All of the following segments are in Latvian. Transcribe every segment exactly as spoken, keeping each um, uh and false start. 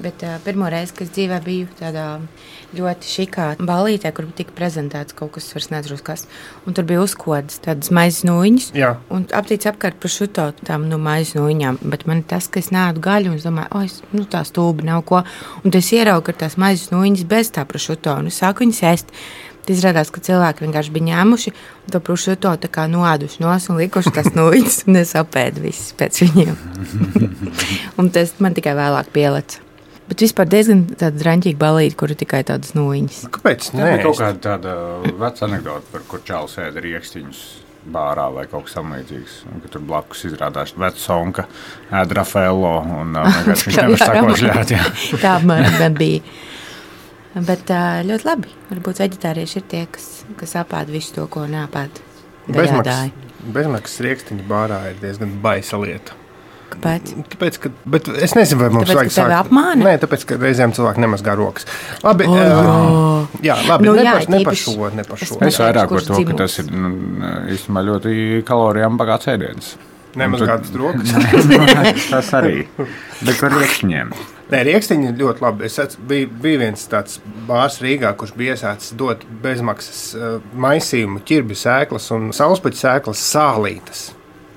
Bet uh, pirmo reizi, kad dzīvē biju tādā ļoti šikā ballītē, kur tika prezentēts kaut kas, vairs neatceros kas, un tur bija uzkodas tādas maizes nūjiņas, un aptīts apkārt prošuto tām nu, maizes nūjiņām, bet man tas, ka es nēdu gaļu, un es domāju, o, es, nu tā stūba nav ko, un es ieraugu, ka tās maizes nūjiņas bez tā prošuto, un es sāku viņas ēst. Izrādās, ka cilvēki vienkārši bija ņēmuši to prošuto tā kā noāduši nos un likuši tās nūjiņas, un es apēdu visas pēc viņiem. Un tas man tikai vēlāk pieleca. Bet vispār diezgan tāda draņķīga balīte, kur ir tikai tādas nūjiņas. Kāpēc? Tā ir kaut kāda tāda veca anekdota, par kur čāls ēda riekstiņus bārā vai kaut kas samlīdzīgs. Un, ka tur blakus izrādās veca sonka, ēda Rafaello un vienkārši viņš nevar sakošļāt. Tā man bija. Bet ļoti labi. Varbūt veģetārieši ir tie, kas, kas apēd visu to, ko neapēd. Bezmaksas, bezmaksas riekstiņu bārā ir diezgan baisa lieta. Kāpēc? Tāpēc, ka, bet es nezinu, vai mums tāpēc, vajag sākt. Tāpēc, ka tevi apmāna? Nē, tāpēc, ka reizēm cilvēki nemazgā rokas. Labi, oh, uh, jā, labi, nu, ne, jā, par, ne par tīpaši, šo, ne par šo. Es vairāk par to, ka tas ir nu, īstenībā ļoti kalorijām bagāts ēdiens. Nemazgātas rokas? Tas arī. Bet par riekstiņiem. Nē, riekstiņi ir ļoti labi. Es biju, bija viens tāds bārs Rīgā, kurš bija iesācis dot bezmaksas uh, maisījumu, ķirbju sēklas un saulespuķu sēklas sālītas.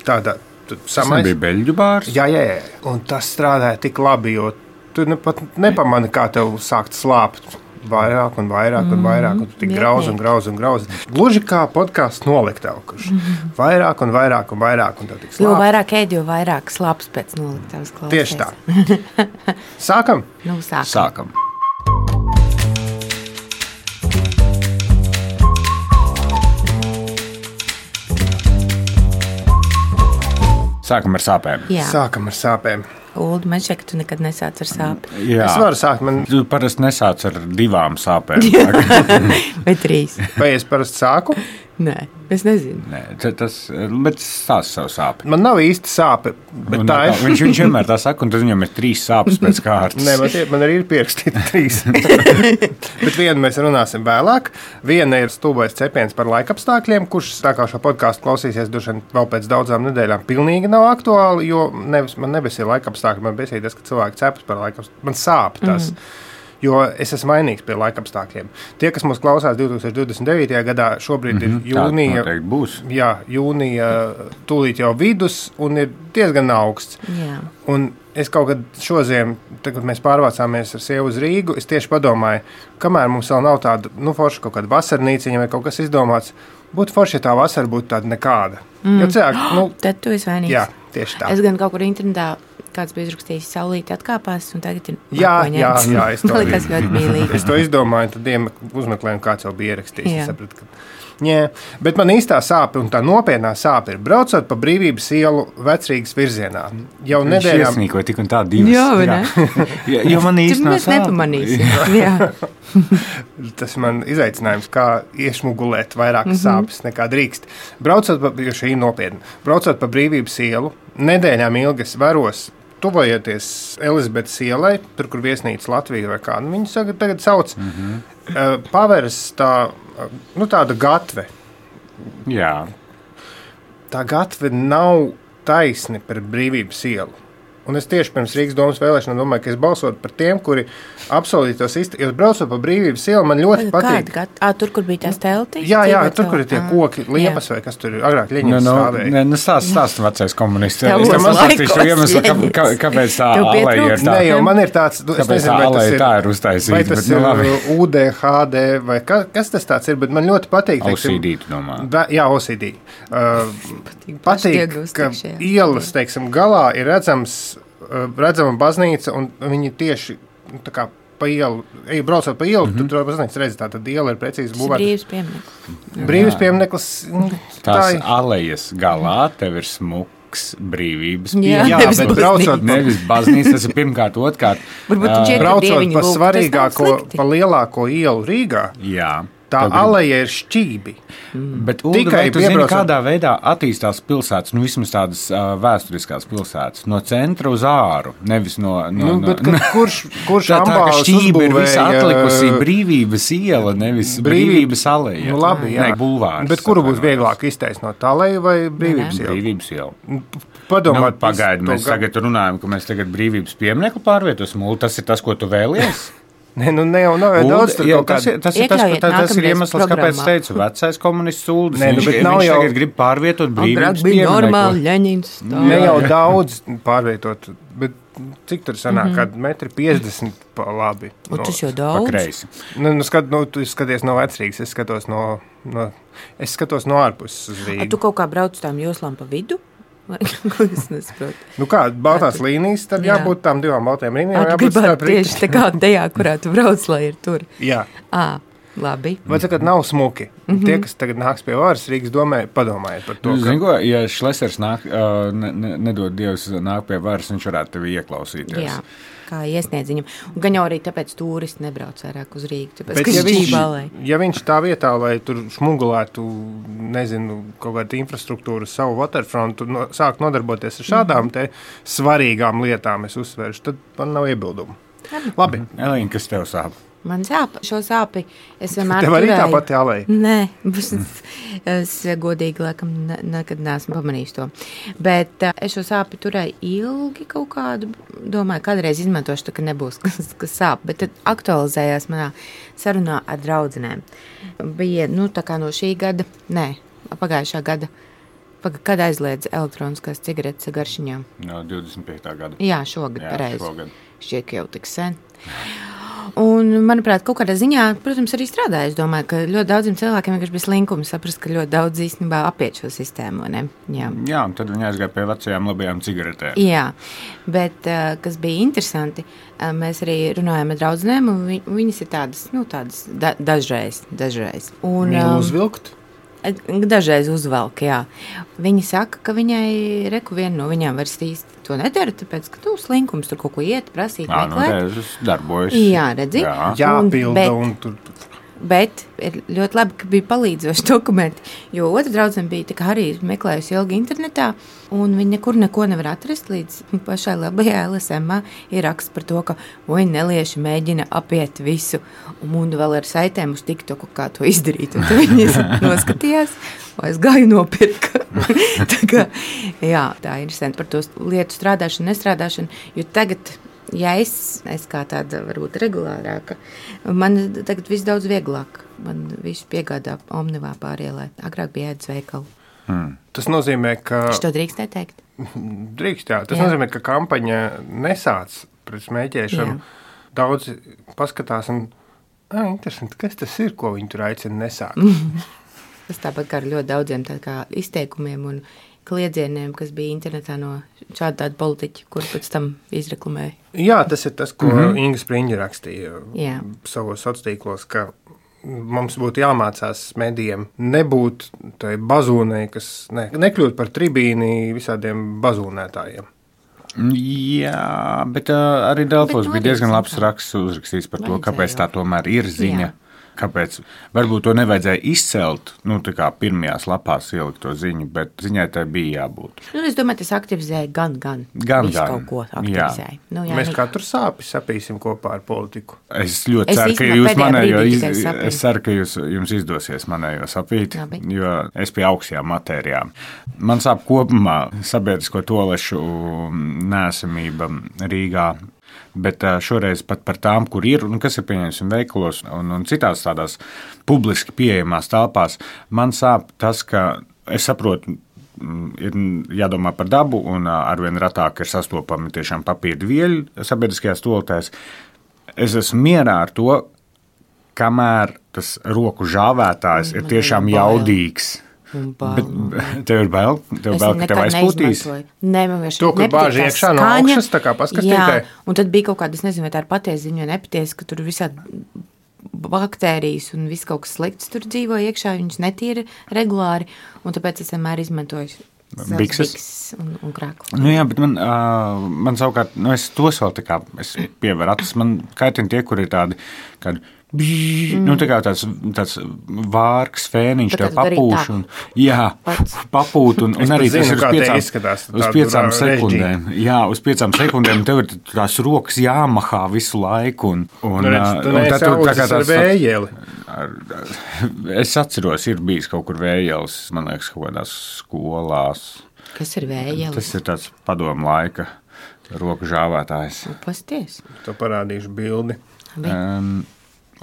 Tādā, tu samais... Tas nebija beļģu bārs? Jā, jā, jā. Un tas strādāja tik labi, jo tu ne, pat nepamani, kā tev sākt slāpt. Vairāk un vairāk un vairāk, un tu tik grauz un grauz un grauz. Gluži kā podkāsts Noliktava, kurš mm-hmm. vairāk un vairāk un vairāk. Un jo vairāk ēd, jo vairāk slāps pēc Noliktavas klausēs. Tieši tā. Sākam? Nu, sākam. Sākam. Sākam ar sāpēm. Jā. Sākam ar sāpēm. Uldi, man šķiet, ka tu nekad nesāc ar sāpi. Jā. Es varu sākt. Man... Tu parasti nesāc ar divām sāpēm. Vai trīs. Vai es parasti sāku? Nē, es nezinu. Nē, tas, bet stāst savu sāpi. Man nav īsti sāpe, bet un, tā ir. Viņš, viņš vienmēr tā saka, un tad viņam ir trīs sāpes pēc kārtas. Nē, man, man arī ir pierakstīta trīs. Bet vienu mēs runāsim vēlāk. Viena ir stulbais cepiens par laikapstākļiem, kurš tā kā šo podkāstu klausīsies dušan vēl pēc daudzām nedēļām pilnīgi nav aktuāli, jo nevis, man nebesīja laikapstākļi, man besīja tas, ka cilvēki cepas par laikapstākļiem. Man sāp tas. Mm. Jo es esmu mainīgs pie laikapstākļiem. Tie, kas mūs klausās divtūkstoš divdesmit devītajā gadā, šobrīd mm-hmm. ir jūnija. Tā būs. Jā, jūnija tūlīt jau vidus un ir diezgan augsts. Jā. Un es kaut kad šoziem, kad mēs pārvācāmies ar sievu uz Rīgu, es tieši padomāju, kamēr mums vēl nav tāda, nu, forša kaut kāda vasarnīciņa vai kaut kas izdomāts, būtu forši, ja tā vasara būtu tāda nekāda. Mm. Jo cilvēki, nu... Tad tu esi vainīgs. Jā, tieši tā. Es gan kaut kur internetā kāds bija izrakstījis, saulīti atkāpās, un tagad ir jā, jā, jā, es to, liekas ļoti mīlīgi. Es to izdomāju, tad uzmeklēju, kāds jau bija ierakstījis. Es sapratu, ka... Jā, bet man īstā sāpe un tā nopietnā sāpe ir braucot pa Brīvības ielu Vecrīgas virzienā. Jau Viņš nedēļām... iesnīkoja tik un tā divas. Jā, vai ne? Jā, jo man īsti nav sāpe. Nepamanīsim. Jā. Tas man izaicinājums, kā iešmugulēt vairākas mm-hmm. sāpes nekā drīkst. Braucot pa, jo šī ir nopietna, braucot pa Brīvības ielu, nedēļām ilgi es veros, tuvojoties Elizabetes ielai, tur, kur viesnīca Latvija vai kā, nu, viņu tagad sauc, mm-hmm. uh, paveras tā, uh, nu, tāda gatve. Jā. Tā gatve nav taisni par Brīvības ielu. Un es tieši pirms Rīgas domas vēlēšanām domāju, ka es balsotu par tiem, kuri apsolītos izteikt. Jo braucot pa Brīvības ielu, man ļoti patīk. Kāda? Ā, tur, kur bija tās teltis? Jā, jā, tur, kur ir tie koki, liepas vai kas tur ir agrāk Ļeņins no, stāvēja. Nē, nu stāst, stāst vecais komunists. Tev Es tam atsakstīšu iemeslu, kā, kā, kāpēc tā aleja ir tā. Nē, jo man ir tāds, es nezinu, vai tas ir, tā ir uztaisīta. Vai tas bet, ir nu, U D H D vai ka, kas tas tāds ir, bet man ļoti patīk. O C D, tu domā? Jā, O C D. Uh, patīk, ka ielas, teiksim, galā ir redzams redzama baznīca, un viņi tieši tā kā pa ielu, ej, braucot pa ielu, mm-hmm. tu tur baznīca redzi, tā tad iela ir precīzi būvēta. Brīvs piemineklis. Brīvs piemineklis. Tās tā alejas galā tev ir smuks brīvības jā, jā, nevis bet braucot nevis baznīca, tas ir pirmkārt, otrkārt. Braucot pa svarīgāko, pa lielāko ielu Rīgā. Jā. Tā aleja ir šķībi. Mm. Bet, Ulda, tikai tu zini, kādā veidā attīstās pilsētas, nu vismaz tādas uh, vēsturiskās pilsētas, no centra uz āru, nevis no... no, nu, bet, no kurš kurš tā, tā, ka šķība ir visa atlikusi uh, brīvības iela, nevis brīvības, brīvības aleja. Nu, labi, jā. Ne, bulvārs. Bet kuru būs vieglāk iztaisnot, aleju vai brīvības ielu? Brīvības ielu. Padomāt, nu, pagaidi, mēs tagad runājam, ka mēs tagad brīvības pieminekli pārvietosim, Ulda, tas ir tas, ko tu vēlies? Nē, nu ne jau nav jau daudz tur jā, kaut tas, ir, tas, ir tas, tā, tas ir iemesls, kāpēc teicu, vecais komunists Uldis. Nē, nu, viņš viņš jau... tagad grib pārvietot brīvības pieminekli. Ne jau daudz pārvietot, bet cik tur sanāk, mm-hmm. kad metri piecdesmit pa labi. O, tas jau daudz? Pa kreisi. Nu, nu, skat, nu, tu skaties no Vecrīgas, es skatos no, no, es skatos no ārpuses uz Rīgu. A, tu kaut kā brauc tām joslām pa vidu? Ko es nesaprotu? Nu kā, baltās līnijas, tad jā. jābūt tām divām baltajām līnijām. Tu gribētu tieši tā kā tajā, kurā tu brauc, lai ir tur. Jā. À, labi. Vai sakat, nav smuki? Mm-hmm. Tie, kas tagad nāks pie varas Rīgas domē, padomājiet par to. Nu, ka... Zinu, ko, ja Šlesers nāk, uh, ne, ne, nedod Dievs nāk pie varas, viņš varētu tevi ieklausīties. Jā. Kā iesniedz viņam. Un gan jau arī tāpēc turisti nebrauc vairāk uz Rīgu. Tāpēc, bet, ja viņš, ja viņš tā vietā, lai tur šmugulētu, nezinu, kaut kādu infrastruktūru, savu waterfrontu, no, sāk nodarboties ar šādām te svarīgām lietām, es uzsveršu, tad man nav iebildumu. Labi. Elīna, kas tev sāp? Man sāp, šo sāpi es vienmēr Tev arī turēju. tā pati aleja? Nē, es, es godīgi laikam ne, nekad neesmu pamanījis to. Bet uh, es šo sāpi turēju ilgi kaut kādu, domāju, kādreiz izmantošu, tā, ka nebūs kas, kas sāp, bet tad aktualizējās manā sarunā ar draudzenēm. Bija, nu, tā kā no šī gada, nē, pagājušā gada, paga, kad aizliedz elektroniskās cigaretes garšiņām? No divdesmit piektā gada. Jā, šogad, Jā, pareizi. Šogad. Šķiet, ka jau tik sen. Un, manuprāt, kaut kādā ziņā, protams, arī strādāja. Es domāju, ka ļoti daudziem cilvēkiem vienkārši bija slinkums saprast, ka ļoti daudz īstenībā apiet šo sistēmu. Ne? Jā. Jā, un tad viņi aizgāja pie vecajām labajām cigaretēm. Jā, bet kas bija interesanti, mēs arī runājām ar draudzenēm, un vi, viņas ir tādas, nu, tādas da, dažreiz, dažreiz. Un, Mīlu uzvilkt? Dažreiz uzvelk, jā. Viņa saka, ka viņai reku viena no viņām vairs īsti to nedara, tāpēc, ka tu slinkums tur kaut ko iet, prasīt, jā, meklēt. Nu, tas darbojas. Jā, redzi. Jā, jāpilda un, un tur... Bet ir ļoti labi, ka bija palīdzoši dokumenti, jo otra draudzene bija tā kā arī meklējusi ilgi internetā, un viņa nekur neko nevar atrast līdz pašai labajā L S M ir raksts par to, ka oi, nelieši mēģina apiet visu, un Munda vēl ar saitēm uz TikToku, kā to izdarīt, un tad viņas noskatījās, vai es gāju nopirka. tā kā, jā, tā ir interesanti par to lietu strādāšanu, nestrādāšanu, jo tagad... Ja es, es kā tāda varbūt regulārāka, man tagad viss daudz vieglāk. Man visu piegādā Omnivā pārielē. Agrāk bija ēdas veikalu. Hmm. Tas nozīmē, ka... Es to drīkst neteikt? Drīkst, jā. Tas jā. nozīmē, ka kampaņa nesāc pret smēķēšanu. Jā. Daudz paskatās un, ā, interesanti, kas tas ir, ko viņi tur aicina nesākt? Tas tāpat kā ar ļoti daudziem tā kā izteikumiem un kliedzieniem, kas bija internetā no šāda tāda politiķa, kur pēc tam izreklamēja. Jā, tas ir tas, ko mm-hmm. Inga Spriņģa rakstīja Jā. savos sociālos, ka mums būtu jāmācās medijiem nebūt tai bazūnei, kas ne, nekļūt par tribīni visādiem bazūnētājiem. Jā, bet uh, arī Delfos bija diezgan labs raksts uzrakstīts par to, kāpēc tā tomēr ir ziņa. Jā. Kāpēc? Varbūt to nevajadzēja izcelt, nu, tā kā pirmajās lapās ielikt to ziņu, bet ziņai tai bija jābūt. Nu, es domāju, tas aktivizēja gan, gan. Gan, Visu gan. kaut ko aktivizēja. Nu, jā, Mēs katru sāpi sapīsim kopā ar politiku. Es ļoti es ceru, ka jūs manējo, iz, es ceru, ka jūs, jums izdosies manējo sapīt, Labi. jo es pie augstajām matērijām. Man sāp kopumā sabiedrisko toalešu neesamība Rīgā. Bet šoreiz pat par tām, kur ir un kas ir pieņemsim veikalos un, un citās tādās publiski pieejamās telpās, man sāp tas, ka es saprotu, ir jādomā par dabu un arvien retāk ir sastopami tiešām papīra vieļi sabiedriskajās toaletēs. Es esmu mierā ar to, kamēr tas roku žāvētājs ir tiešām jaudīgs. Bet tev ir bail, tev es bail, ka tev aizpūtīs? Nē, man vienkārši to, kur bāži iekšā no augšas, tā kā paskastītē. Jā, un tad bija kaut kāda, es nezinu, vai tā ir patiesa ziņa vai nepatiesa, ka tur visādi baktērijas un viss kaut kas slikts tur dzīvo iekšā, viņus netīra regulāri, un tāpēc es vienmēr izmantoju bikses un, un krāklu. Nu jā, bet man, uh, man savukārt, nu es tos vēl tā kā, es pieveru acis, man kaitina tie, kur ir tādi, kādi bžī, mm. nu, tā kā tāds, tāds vārks, fēniņš tev papūš. Un, jā, papūt, un, un arī zinu, tas ir uz piecām, uz piecām sekundēm. Jā, uz piecām sekundēm tev ir tās rokas jāmahā visu laiku. Un, un, nu, redz, tu neesi audzis ar vējeli. Ar, es atceros, ir bijis kaut kur vējels, man liekas, kaut kādās skolās. Kas ir vējels? Tas ir tāds padomu laika roku žāvētājs. Pasties. To parādīšu bildi. Um,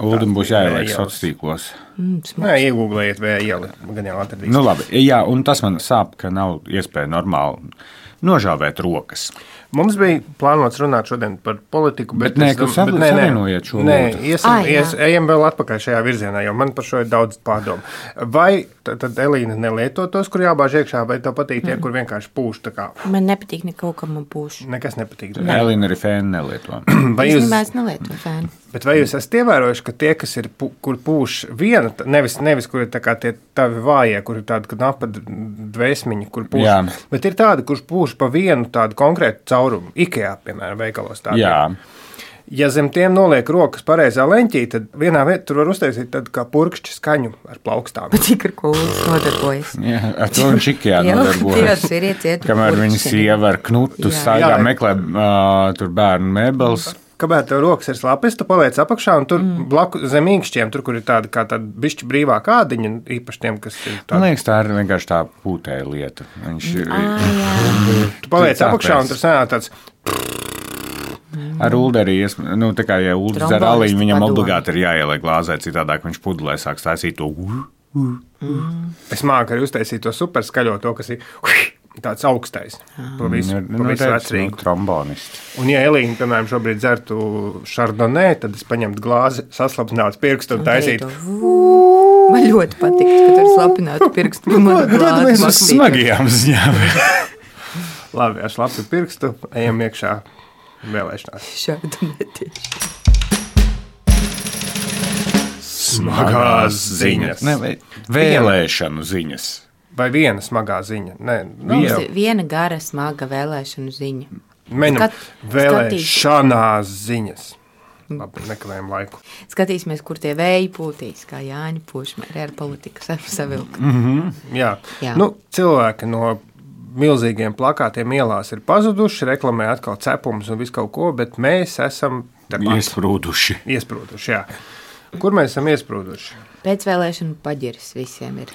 Uldim būs jāieliek sociālos tīklos. Mm, Nē, iegūglējiet vējeli, gan jau atradīs. Nu labi, jā, un tas man sāp, ka nav iespēja normāli nožāvēt rokas. Mums bija plānots runāt šodien par politiku, bet, bet nē, ka dom, bet savienojiet šo nē, lūdzu. Iesim, ah, ies, ejam vēl atpakaļ šajā virzienā, jo man par šo ir daudz pārdomu. Vai tad, tad Elīna nelieto tos, kur jābāž iekšā, vai tev patīk tie, mm. kur vienkārši pūš tā kā? Man nepatīk neko, kam man pūš. Nekas nepatīk. Ne. Elīna arī fēnu nelieto. Vai jūs... Es nelieto fēnu. Bet vai jūs esat ievērojuši, ka tie, kas ir, kur pūš viena, nevis, nevis kur ir tā kā tie tavi vājie, kur ir tāda knapa dvēsmiņa, kur pūš, jā. Bet ir tāda, kurš pūš pa vienu tādu konkrētu caurumu, Ikea, piemēram, veikalos tādiem. Jā. Ja zem tiem noliek rokas pareizā leņķī, tad vienā vietā tur var uztaisīt tādu kā purkšķi skaņu ar plaukstām. Bet cik ar ko nodarbojas? Jā, ar to viņš Ikea nodarbojas. Kamēr viņa sieva ar knutu staigā meklē uh, tur bērnu mēbeles. Kamēr tev rokas ir slapjas, tu paliec apakšā un tur mm. blaku zem īkšķiem, tur, kur ir tāda kā tāda bišķi brīvā kādiņa, īpaši tiem, kas ir tāda. Man liekas, tā ir vienkārši tā pūtēja lieta. Viņš ir... Ah, tu paliec apakšā un tur sanāk tāds... Ar Uldi arī, nu, tā kā, ja Uldi dzer aliņu, viņam obligāti ir jāieliek glāzē, citādāk viņš pudelē sāk stāsīt to... Mm. Es māku arī uztaisīt to super skaļo, to, kas ir... Tāds augstais, pa visu, nu, pa visu vecrīgu. Trombonisti. Un, ja Elīna, piemēram, šobrīd dzertu šardonē, tad es paņemtu glāzi, saslapinātu pirkstu un taisītu. Man ļoti patīk, ka tur slapinātu pirkstu. Man mēs uz smagajām ziņām. Labi, ar slapu pirkstu ejam iekšā vēlēšanās. Šardonē tieši. Smagās ziņas. Ne, vēlēšanu ziņas. Vai viena smagā ziņa? Nē, viena. viena gara, smaga vēlēšanu ziņa. Mēģinām vēlēšanās ziņas. Labi, nekavējam laiku. Skatīsimies, kur tie vēji pūtīs, kā Jāņa Pušmēri ar politiku savilka. Mm -hmm, jā. jā. Nu, cilvēki no milzīgiem plakātiem ielās ir pazuduši, reklamē atkal cepumus un visu kaut ko, bet mēs esam... Iesprūduši. Iesprūduši, jā. Kur mēs esam iesprūduši? Pēcvēlēšanu paģiris visiem ir.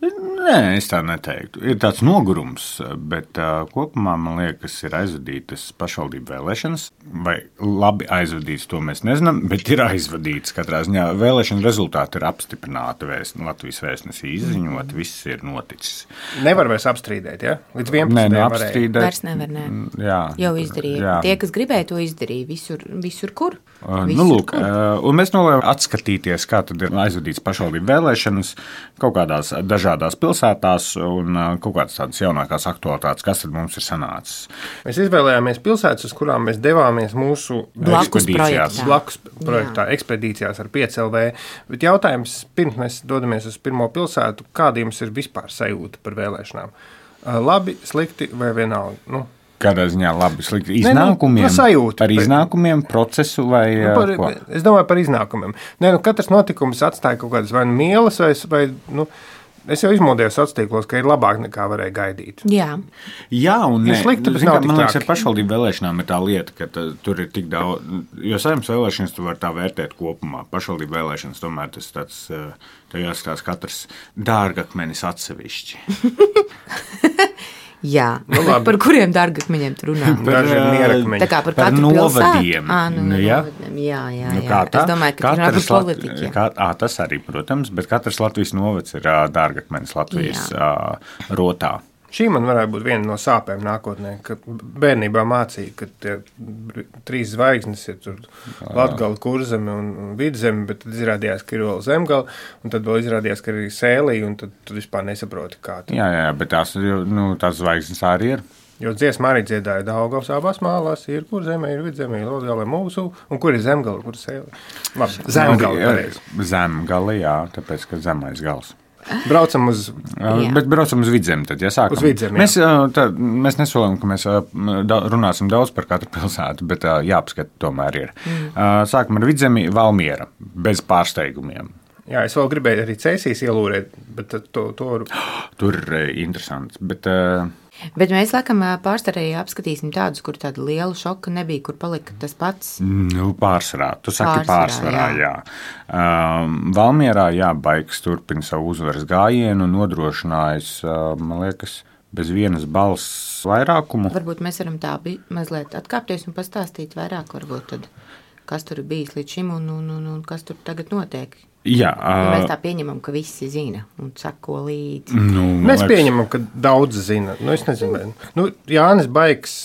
Nē, es tā neteiktu. Ir tāds nogurums, bet uh, kopumā man liekas, ir aizvadītas pašvaldību vēlēšanas. Vai labi aizvadītas, to mēs nezinām, bet ir aizvadītas katrā ziņā. Vēlēšana rezultāti ir apstiprināti, vēst, Latvijas vēstnesī izziņot, viss ir noticis. Nevar vairs apstrīdēt, ja? Līdz vienpadsmitajam Nē, nu apstrīdēt. Vairs nevar, nē. Jā. Jau izdarīja. Jā. Tie, kas gribēja, to izdarīja. Visur, visur kur? Uh, visur, nu, lūk, kur? Uh, un mēs nolēmām atskatīties, kā tad ir aizvadītas pašvaldību vēlēšanas kaut kādās dažādās pilsētās un kaut kādas tādas jaunākās aktualitātes, kas tad mums ir sanācis. Mēs izvēlējāmies pilsētas, uz kurām mēs devāmies mūsu blakus projektā, blakus projektā ekspedīcijās ar pieci L V. Bet jautājums, pirms mēs dodamies uz pirmo pilsētu, kāda jums ir vispār sajūta par vēlēšanām? Labi, slikti vai vienalga? Nu, Kādā ziņā labi, slikti iznākumiem? Ne, nu, sajūta, par iznākumiem, procesu vai nu, par, ko? Es domāju par iznākumiem. Ne, nu, katrs notikums atstāja kaut kādas vai nu mielas, vai, vai nu, es jau izmodēju sociālos tīklos, ka ir labāk nekā varēja gaidīt. Jā, Jā un ir slikti, bet kā, nav tik man liekas, traki. ar pašvaldību vēlēšanām ir tā lieta, ka tā, tur ir tik daudz, jo saimnes vēlēšanas tu var tā vērtēt kopumā. Pašvaldību vēlēšanas tomēr tas tāds, tā jāskatās katrs dārgakmenis atsevišķi. Jā, nu, par kuriem dārgakmeņiem tu runā? Daži ir mierakmeņi. Tā kā par, par katru novadiem. À, nu, nu, jā. novadiem. Jā, jā, Nu, jā. kā tā? Es domāju, ka tur ir politiķi. Kā, à, tas arī, protams, bet katrs Latvijas novads ir ā, dārgakmenis Latvijas ā, rotā. Šī man varētu būt viena no sāpēm nākotnē, ka bērnībā mācīja, ka tie trīs zvaigznes ir tur Latgala, Kurzeme un Vidzeme, bet tad izrādījās, ka ir vēl Zemgala, un tad vēl izrādījās, ka ir Sēlī, un tad tu vispār nesaproti, kā tā. Jā, jā, bet tās, nu, tās zvaigznes arī ir. Jo dziesma arī dziedāja Daugavas abās mālās, ir Kurzeme, ir Vidzeme, ir Latgala, mūsu, un kur ir Zemgala, kur ir Sēlī. Labi, Zemgala pareizi. Zemgala, jā, tāpēc, ka zemais gals. Braucam uz, bet braucam uz Vidzemi. Tad, ja sākam. Uz Vidzemi, mēs, tā, mēs nesolām, ka mēs runāsim daudz par katru pilsētu, bet jāapskata tomēr ir. Mm. Sākam ar Vidzemi, Valmiera, bez pārsteigumiem. Jā, es vēl gribēju arī Cēsīs ielūrēt, bet to... to... Tur ir interesants, bet... Bet mēs, laikam, pārstarēji apskatīsim tādus, kur tāda liela šoka nebija, kur palika tas pats. Nu, pārsvarā. Tu saki pārsvarā, jā. jā. Um, Valmierā, jā, Baiks turpina savu uzvaras gājienu un nodrošinājis, uh, man liekas, bez vienas balss vairākumu. Varbūt mēs varam tā mazliet atkāpties un pastāstīt vairāk, varbūt tad, kas tur ir bijis līdz šim un, un, un, un kas tur tagad notiek. Jā, uh, mēs tā pieņemam, ka visi zina un sako līdzi. Nu, mēs liekas... pieņemam, ka daudz zina. Nu, es nezinu, nu, Jānis Baiks,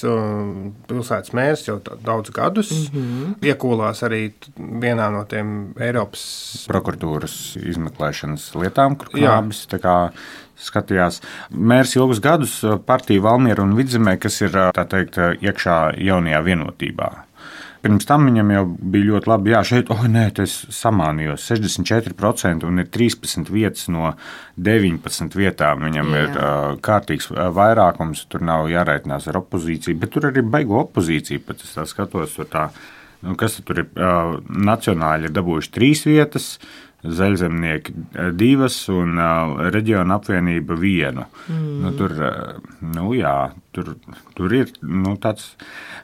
pilsētas mērs jau daudz gadus, mm-hmm. iekūlās arī vienā no tiem Eiropas prokuratūras izmeklēšanas lietām, kur Knābis tā kā skatījās. Mērs ilgus gadus partija Valmiera un Vidzemē, kas ir, tā teikt, iekšā jaunajā vienotībā. Pirms tam viņam jau bija ļoti labi, jā, šeit, oh, nē, tas samānījos, sešdesmit četri procenti un ir trīspadsmit vietas no deviņpadsmit vietām. Viņam jā. ir uh, kārtīgs vairākums, tur nav jārēķinās ar opozīciju, bet tur arī baigo opozīcija, pat es tā skatos, tur tā, nu, kas tur ir, uh, nacionāļi ir dabūjuši trīs vietas, Zaļzemnieki divas un uh, reģiona apvienība vienu. Mm. Nu, tur, uh, nu jā, tur, tur ir, nu, tāds...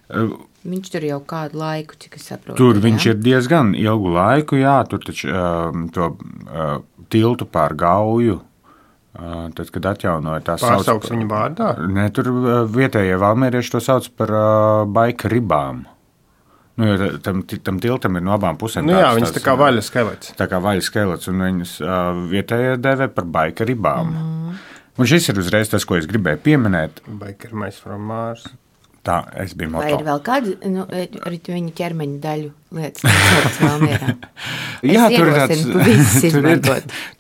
Uh, Viņš tur jau kādu laiku, cik es saprotu. Tur jā? viņš ir diezgan ilgu laiku, jā, tur taču uh, to uh, tiltu pār Gauju, uh, tad, kad atjaunoja tā sauc... Pārsauks viņu vārdā? Ne, tur uh, vietējie valmierieši to sauc par uh, baika ribām. Nu, jo tam, tam tiltam ir no abām pusēm. Nu jā, viņas tā kā vaļa skelets. Tā kā vaļa skelets, un viņas uh, vietējie dēvē par baika ribām. Mm. Un šis ir uzreiz tas, ko es gribēju pieminēt. Baika ir mais from Mars. Tā, es biju moto. Vai ir vēl kāda, nu, arī viņa ķermeņa daļu lietas, kas Valmierā? Jā, tur ir tāds, tur ir,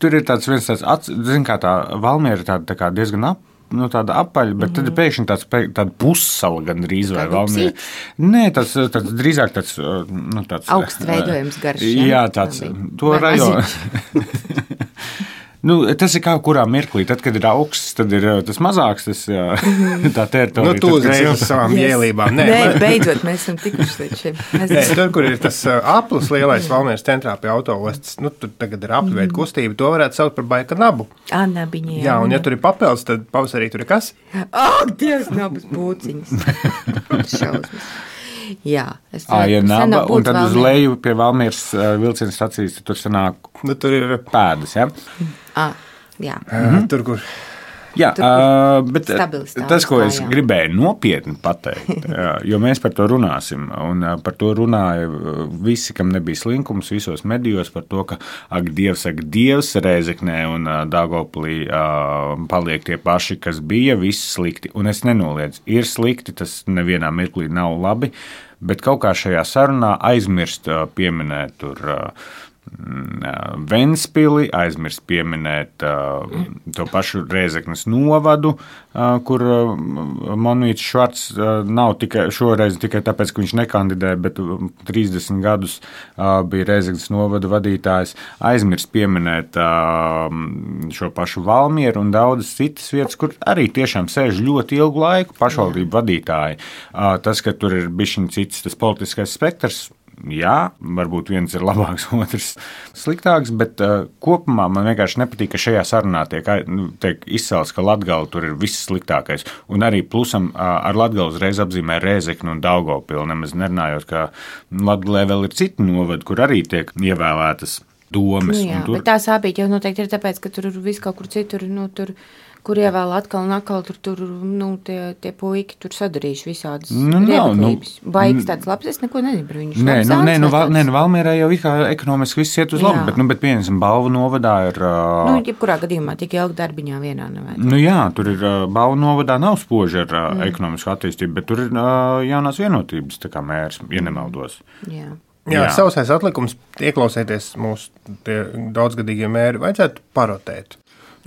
tur ir tāds viens tāds, zin kā tā Valmiera ir tāda tā kā diezgan ap, nu, tāda apaļa, bet mm-hmm. tad ir pēkšņi tāds, tāda pussala gan drīz vai Valmiera. Nē, tāds, tāds drīzāk tāds, nu, tāds... Augsts veidojums garš. Jā, tāds, to rajonu. Nu, tas ir kā kurā mirklī. Tad, kad ir augsts, tad ir tas mazāks, tas, jā, tā teritorija. Nu, tu uzreiz ar savām yes. ielībām. Nē, Nē man... beidzot, mēs esam tikuši līdz šim. Nē, tur, kur ir tas aplis lielais Valmieras centrā pie autoostas, nu, tur tagad ir apļveida mm. kustība, to varētu saukt par baika nabu. Ā, nabiņi, jā. Jā, un ja tur ir papildus, tad pavasarī tur ir kas? Ak, Dievs, nabas būciņas. Šausmas. Jā, es à, ja naba, un tad Valmiera. Uz leju pie Valmieras uh, vilciena stacijas, tur sanāk nu, tur ir pēdas, ja? À, jā. Uh, tur, kur... Jā, tur, uh, bet stabilistāvis, tas, ko es jā. gribēju nopietni pateikt, jā, jo mēs par to runāsim, un uh, par to runāja visi, kam nebija slinkums visos medijos, par to, ka, ak, Dievs, ak, Dievs, Rēzeknē un uh, Daugavpilī uh, paliek tie paši, kas bija, viss slikti, un es nenoliedzu, ir slikti, tas nevienā mirklī nav labi, bet kaut kā šajā sarunā aizmirst uh, pieminēt tur uh, Ventspili, aizmirst pieminēt uh, to pašu Rēzeknes novadu, uh, kur uh, Monīts Švarts uh, nav tikai šoreiz tikai tāpēc, ka viņš nekandidē, bet trīsdesmit gadus uh, bija Rēzeknes novada vadītājs, aizmirst pieminēt uh, šo pašu Valmieru un daudzas citas vietas, kur arī tiešām sēž ļoti ilgu laiku pašvaldību vadītāji. Uh, tas, ka tur ir bišķiņ cits tas politiskais spektrs, jā, varbūt viens ir labāks, otrs sliktāks, bet uh, kopumā man vienkārši nepatīk, ka šajā sarunā tiek, nu, tiek izcelts, ka Latgale tur ir viss sliktākais. Un arī plusam uh, ar Latgali uzreiz apzīmē Rēzekni un Daugavpili, nemaz nerunājot, ka Latgalē vēl ir citi novadi, kur arī tiek ievēlētas domas. Nu jā, tur... bet tā sāpīgi jau noteikti ir tāpēc, ka tur viss kaut kur citur, nu, tur... kur ievēl atkal un atkal tur, tur nu, tie, tie puiki tur sadarījuši visādas nu, riebaklības. Nu, Baigs tāds labs, es neko nezinu par viņu. Nē, nu, nē, nu, val, nē, nu Valmierā jau kā ekonomiski viss iet uz labu, bet, nu, bet pieņemsim, Balvu novadā ir... Uh, nu, jebkurā gadījumā, tik ilgi darbiņā vienā nevajag. Nu jā, tur ir uh, Balvu novadā nav spoži ar uh, mm. ekonomisku attīstību, bet tur ir uh, jaunās vienotības, tā kā mērs, ja nemaldos. Jā. Jā, jā. Sausais atlikums, ieklausēties mūsu daudzgadīgie mēri, vajadzētu parotēt.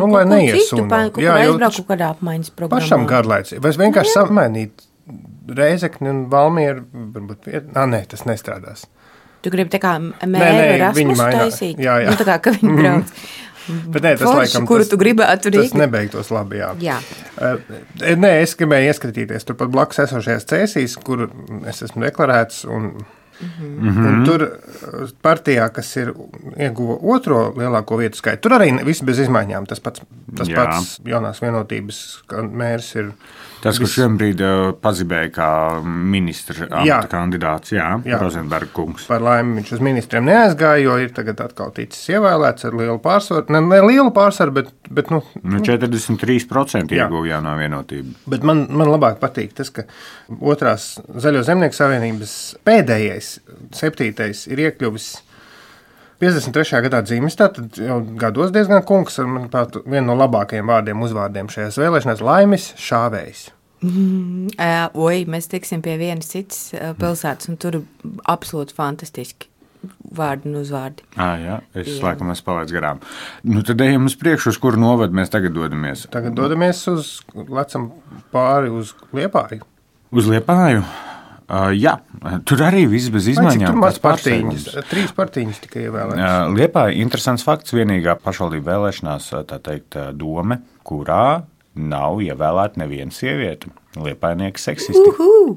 Nu, lai neiesūna. Jā, aizbrauku kādā apmaiņas programmā. Pašam garlaicīgi. Vai vienkārši samainīt Rēzekni un Valmieru? Varbūt, ā, nē, tas nestrādās. Tu gribi tā kā mēru Erasmus taisīt? Jā, jā. Nu, tā kā, ka viņi brauc. Bet nē, tas forši, laikam, kuru tas, tu gribētu rīkot. Tas nebeigtos labi, jā. jā. Uh, nē, es gribēju ieskatīties turpat blakus esošajās cēsīs, kur es esmu deklarēts, un, mm-hmm. un tur partijā, kas ir ieguva otro lielāko vietu skaitu, tur arī viss bez izmaiņām. Tas pats, tas pats jaunās vienotības mērs ir. Tas, kurš vienbrīd pazibēja kā ministra amata kandidāts, jā, jā. Rozenberga kungs. Par laimi viņš uz ministriem neaizgāja, jo ir tagad atkal ticis ievēlēts ar lielu pārsvaru. Ne, ne lielu pārsvaru, bet, bet nu, nu, četrdesmit trīs procenti ieguva jaunā vienotība. Bet man, man labāk patīk tas, ka otrās Zaļo zemnieku savienības pēdējais, septītais ir iekļuvis piecdesmit trešajā gadā dzīves, tātad jau gados diezgan kungs ar, manuprāt, vienu no labākajiem vārdiem, uzvārdiem šajās vēlēšanās - Laimis Šāvējs. Mm, uh, oi, mēs tiksim pie vienas citas uh, pilsētas, un tur absolūti fantastiski vārdi un uzvārdi. Ah, jā, es jā. laikam esmu palaidis garām. Nu, tad ejam uz priekšu, uz kuru novadu mēs tagad dodamies. Tagad dodamies uz, lecam pāri uz Liepāju. Uz Liepāju? Uh, jā, tur arī viss bez izmaiņām. Tur maz partiņas, trīs partiņas tikai ievēlētas. Uh, Liepāja interesants fakts, vienīgā pašvaldību vēlēšanās, tā teikt, dome, kurā nav ievēlēta neviena sieviete. Liepājnieki seksisti. Uhu!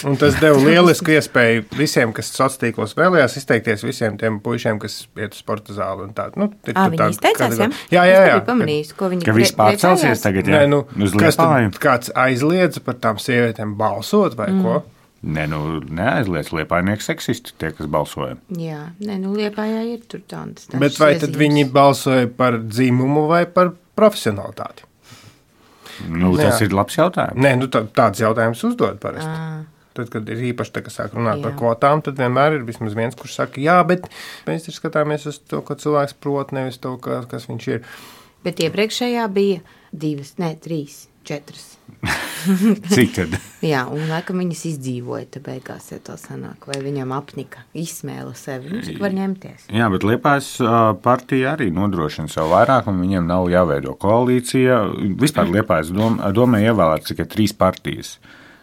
Un tas deva lielisku iespēju visiem, kas sociālos tīklos vēlējās, izteikties visiem tiem puišiem, kas iet uz sporta zāli un tā. Nu, Ā, viņi izteicās, jā? Jā, jā, jā. Pamanījis, ko viņi ka viss pārcelsies tagad, jā? Nē, nu, uz kas Liepāju. tad, kāds aizliedza par tām sievietēm balsot vai mm. ko? Nē, nu, neaizliec Liepājnieki seksisti, tie, kas balsoja. Jā, nē, nu, Liepājā ir tur tādas. Bet vai tad viņi balsoja par dzimumu vai par profesionalitāti? Nu, tas jā. ir labs jautājums. Nē, nu, tā, tāds jautājums uzdod parasti. À. Tad, kad ir īpaši tā, ka sāk runāt jā. par kvotām, tad vienmēr ir vismaz viens, kurš saka, jā, bet mēs taču skatāmies uz to, ko cilvēks prot, nevis to, kas, kas viņš ir. Bet iepriekšējā bija divas, ne, trīs, četras. Cik tad? Jā, un laikam viņas izdzīvoja, te beigās, ja tā sanāk, vai viņam apnika, izsmēla sevi, nu, cik var ņemties. Jā, bet Liepājas partija arī nodrošina savu vairākumu, viņiem nav jāveido koalīcija. Vispār Liepājas dom, domē ievēlēt tikai trīs partijas.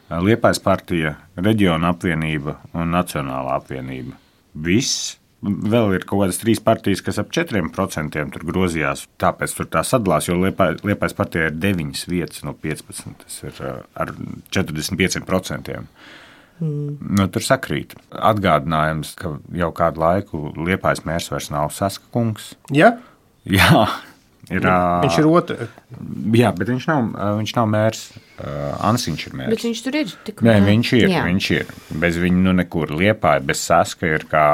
Liepājas partija, Reģiona apvienība un Nacionālā apvienība. Viss. Vēl ir kaut kādas trīs partijas, kas ap četriem procentiem tur grozījās, tāpēc tur tā sadalās, jo Liepājas partijā ir deviņas vietas no piecpadsmit, tas ir ar četrdesmit pieciem procentiem. Mm. Nu, tur sakrīt. Atgādinājums, ka jau kādu laiku Liepājas mērs vairs nav Saska kungs. Ja? Jā. Ir, viņš ir otrs. Jā, bet viņš nav, viņš nav mērs. Ansiņš ir mērs. Bet viņš tur ir. Tik, Nē, viņš ir, jā. viņš ir. Bez viņa nu nekur. Liepāja bez Saska ir kā,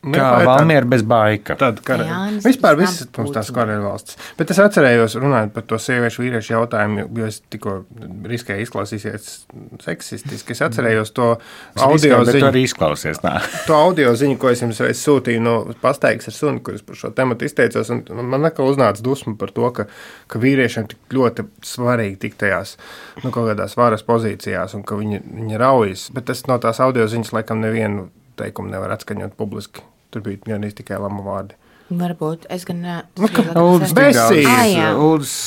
kā Valmiera bez Baika. Tad, kar... Vispār viss mums tās karēļu valsts. Bet es atcerējos runājot par to sieviešu vīriešu jautājumu, jo es tikko riskēju izklausīsies seksistiski. Es atcerējos to audio riskē, ziņu. Arī izklausies, nā. To audio ziņu, ko es jums reiz sūtīju no pastaigas ar suni, kur es par šo tematu izteicos, un man atkal uznāca dusma par to, ka, ka vīriešiem tik ļoti svarīgi tikt tajās nu, kaut kādās varas pozīcijās un ka viņi, viņi raujas. Bet tas no tās audio ziņas laikam nevienu teikumu nevar atskaņot publiski. Tur bija gan tikai lama vārdi. Varbūt. Es gan ne... Uldis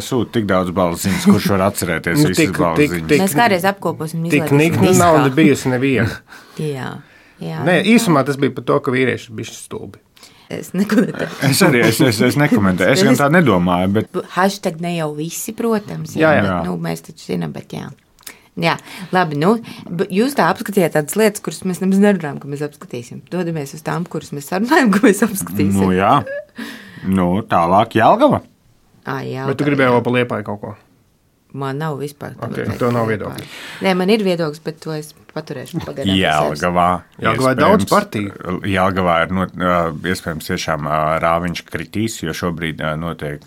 sūta tik daudz balss ziņas, kurš var atcerēties nu, visas balss ziņas. Mēs kādreiz apkoposim. Tik nikni nauda bijusi neviena. jā, jā. Nē, īsumā tas bija par to, ka vīrieši bija stulbi. Es nekomentēju. Es arī es, es, es nekomentēju. Es gan tā nedomāju. Bet... Hashtag ne jau visi, protams. Jā, jā. jā. Bet, nu, mēs taču zinām, bet jā. Jā, labi. Nu, jūs tā apskatījāt tādas lietas, kuras mēs nemaz nerunājam, ka mēs apskatīsim. Dodamies uz tām, kuras mēs sarunājam, ka mēs apskatīsim. Nu, jā. Nu, tālāk Jelgava. Ā, Jelgava. Bet tu gribēji vēl pa Liepāju kaut ko? Man nav vispār. Okay, tev nav viedokļi. Nē, man ir viedoklis, bet to es paturēšu pagaidām. Jelgavā. Jelgavā daudz partiju. Jelgavā ir not, iespējams tiešām Rāviņš kritīs, jo šobrīd notiek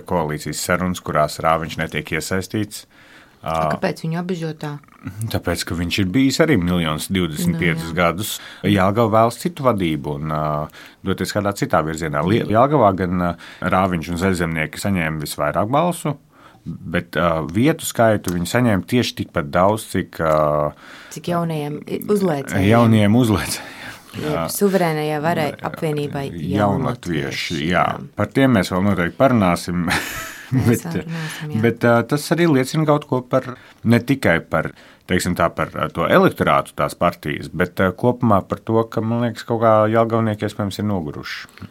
koalīcijas sarunas, kurās Rāviņš netiek iesaistīts. Kāpēc viņu apbežotā? Tāpēc, ka viņš ir bijis arī miljonus divdesmit piecus no, gadus. Jelgava vēlas citu vadību un uh, doties kādā citā virzienā. Jelgavā gan uh, Rāviņš un Zaļzemnieki saņēma visvairāk balsu, bet uh, vietu skaitu viņi saņēma tieši tikpat daudz, cik... Uh, cik jaunajiem uzlēcējiem. Jaunajiem uzlēcējiem. Jā, suverēnajā varai apvienībai jaunatvieši. Jā. Par tiem mēs vēl noteikti parunāsim. bet runāsim, bet uh, tas arī liecina kaut ko par, ne tikai par, teiksim tā, par to elektorātu tās partijas, bet uh, kopumā par to, ka, man liekas, kaut kā jelgavnieki iespējams ir noguruši.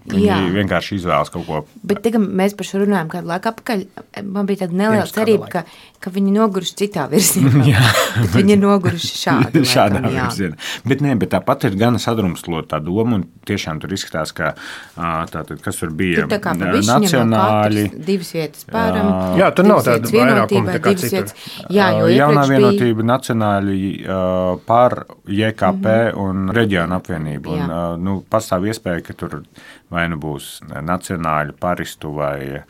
Viņi Jā. vienkārši izvēlas kaut ko. Bet tagad mēs par šo runājam kādu laiku apakaļ. Man bija tāda neliela cerība, ka, ka viņi noguruši citā virzienā. Bet viņi ir noguruši šādu. Šādā virzienā. Bet, ne, bet tāpat ir gan sadrumstalota tā doma, un tiešām tur izskatās, ka tātad, kas tur bija tur tā kā nacionāļi. Divas vietas pāram. Jā, tur nav tāda vairākuma tā kā citur. Jā, jo Jaunā vienotība bija... nacionāļi par J K P mm-hmm. un reģionu apvienību. Un, nu, pastāv iespēja, ka tur vai nu būs nacionāļu paristu vai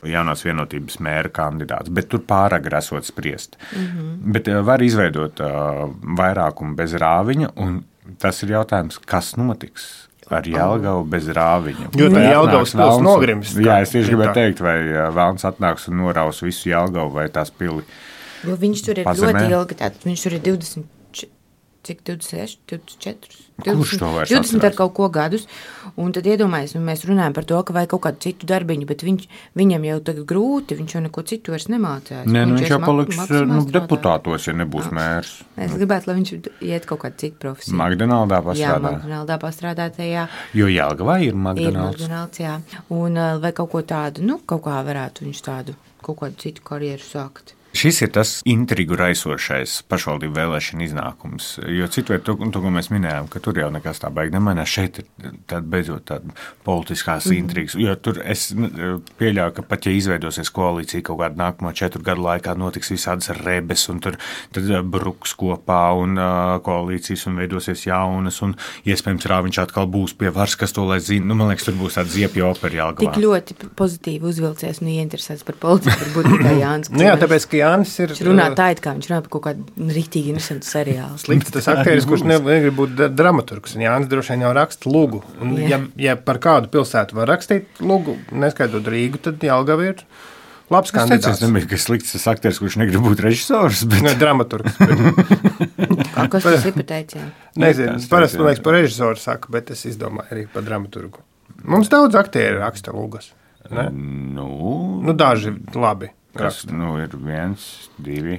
jaunās vienotības mēra kandidāts, bet tur pāragri esot spriest. Mm-hmm. Bet var izveidot uh, vairākumu bez Rāviņa, un tas ir jautājums, kas notiks ar Jelgavu bez Rāviņa. Jo tā Jelgavas pils nogrims. Jā, es tieši gribēju teikt, vai Velns atnāks un noraus visu Jelgavu vai tās pili. Jo viņš tur ir pazemē. Ļoti ilgi, tātad viņš tur ir divdesmit, cik divdesmit seši, divdesmit četri, divdesmit, divdesmit ar kaut ko gadus, un tad iedomājies, un mēs runājam par to, ka vajag kaut kādu citu darbiņu, bet viņš, viņam jau tagad grūti, viņš jau neko citu vairs nemācās. Nē, nu, viņš jau paliks nu, deputātos, ja nebūs mērs. Es gribētu, lai viņš iet kaut kādu citu profesiju. Magdonaldā pastrādā. Jā, Magdonaldā pastrādā tajā. Jo Jelgavā ir Magdonalds. Ir Magdonalds, jā. Un vai kaut ko tādu, nu, kaut kā varētu viņš tādu, kaut kādu citu karjeru sākt. Šis ir tas intrigu raisošais pašvaldību vēlēšana iznākums, jo citviet to, to, ko mēs minējām, ka tur jau nekas tā baigi nemainās, šeit ir tāda beidzot tāda politiskās mm. intrigas, jo tur es pieļauju, ka pat ja izveidosies koalīcija kaut kādu nākamo četru gadu laikā notiks visādas rebes un tur tad bruks kopā un uh, koalīcijas un veidosies jaunas un iespējams Rāviņš atkal būs pie varas, kas to lai zina, nu man liekas, tur būs tāda ziepja opera Jelgavā. Tik ļoti pozitīvi uzvilcies un ieinteresēts par politiku, varbūt tikai Jānis. Nu jā, tāpēc, ka Jānis ir... Viņš runā tā, it kā viņš runā par kaut kādu rītīgi interesantu seriālu. Slikts tas aktieris, kurš negrib būt dramaturgs. Jānis droši vien jau raksta lugu. Un ja, ja par kādu pilsētu var rakstīt lugu, neskaitot Rīgu, tad Jelgava ir labs kandidāts. Es nebiju, ka slikts tas aktieris, kurš negrib būt režisors, bet... Ne, dramaturgs. Bet... Kas tas ir pateicē? Nezinu, parasti, man liekas, par režisoru saka, bet es izdomāju arī par dramaturgu. Mums daudz aktieri raksta lugas. Ne? Nu... Nu, daži labi. Kas, nu, ir viens, divi.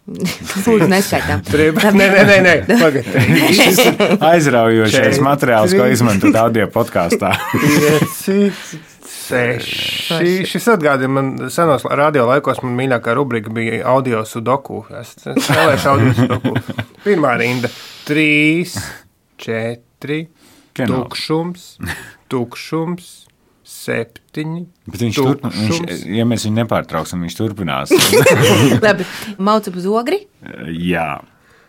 Lūdzu, neskaitām. Nē, nē, nē, nē. Šis aizraujošais materiāls, ko izmantot audio podkāstā. Pieci, seši. Šis atgādina man senos radio laikos, man mīļākā rubrika bija audio sudoku. Es spēlēšu audio sudoku. Pirmā rinda. Trīs, četri, tukšums, tukšums. Septiņi. Bet viņš turpinās, viņš, ja mēs viņu nepārtrauksim, viņš turpinās. Labi, maucam uz ogri? Jā.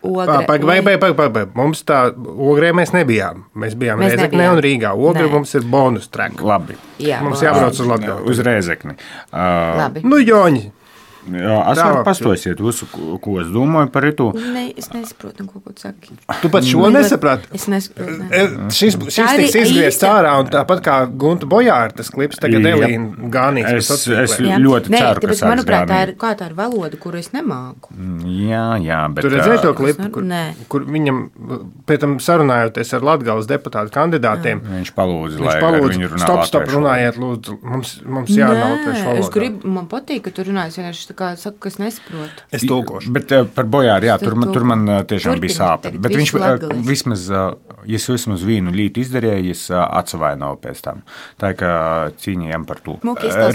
Ogre, Pag, vai, vai, vai, vai, vai. Mums tā ogrē mēs nebijām. Mēs bijām mēs Rēzeknē nebijām. Un Rīgā. Ogre Nē. Mums ir bonus track. Labi. Jā, mums jābrauc uz Latgali. Uz Rēzekni. Uh, Labi. Nu, Joņi. Jā, es varu pastosiet visu, ko es domāju par itu. Ne, es nesaprotu, ko tu saki. Tu pat šo nesaprati? Es nesaprotu. Ne. Šis, šis tiks izgriezt ārā, un tāpat kā Gunta Bojāra, tas klips tagad Elīna Gānīts. Es, es ļoti ne, ceru, ka sāks manuprāt, tā ir, kā tā ir valoda, kuru es nemāku. Jā, jā, bet... Tur redzēji to klipu, kur, kur viņam, pēc tam sarunājoties ar Latgales deputātu kandidātiem, jā. Viņš palūdza, viņš lai palūdza, ar viņu runā stop, stop, runājiet, lūdzu, mums, mums jārunā latviešu valodā. Es gribu, man patīk, ka tu runājies vienkārši kā saku, kas nesaprotu. Es tulkošu. Bet uh, par Bojāru, jā, tur, tur man uh, tiešām bija sāpe. Bet viņš uh, vismaz, uh, ja es vismaz vienu lītu izdarīju, es uh, atsavainoju pēc tam. Tā ir, ka cīņījām par to.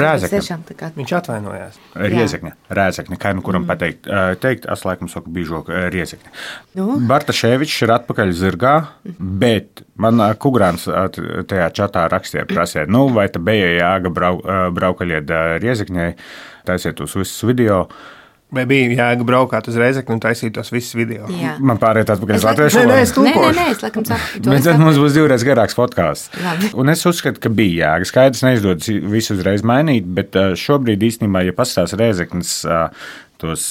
Rēzekne. Viņš atvainojās. Riezekne. Rēzekne, kā nu kuram mm. pateikt. Uh, teikt, es laikam saku bīžok uh, Riezekne. Nu? Bartaševičs ir atpakaļ zirgā, bet man uh, Kugrāns uh, tajā čatā rakstīja prasē, nu, vai ta bija jāga brau, uh, braukaļiet uh, Riezekņai, taisiet tos visus video. Vai bija jāga braukāt uz Rēzekni un taisīt tos visus video? Jā. Man pāriet atpakaļ uz latviešu valodu. Nē, nē, es tulkošu. Nē, nē, nē, es laikam saku. Bet tad mums būs divreiz garāks podkāsts. Un es uzskatu, ka bija jāga. Skaidrs neizdodas visu uzreiz mainīt, bet šobrīd īstenībā, ja pastāsta Rēzeknes tos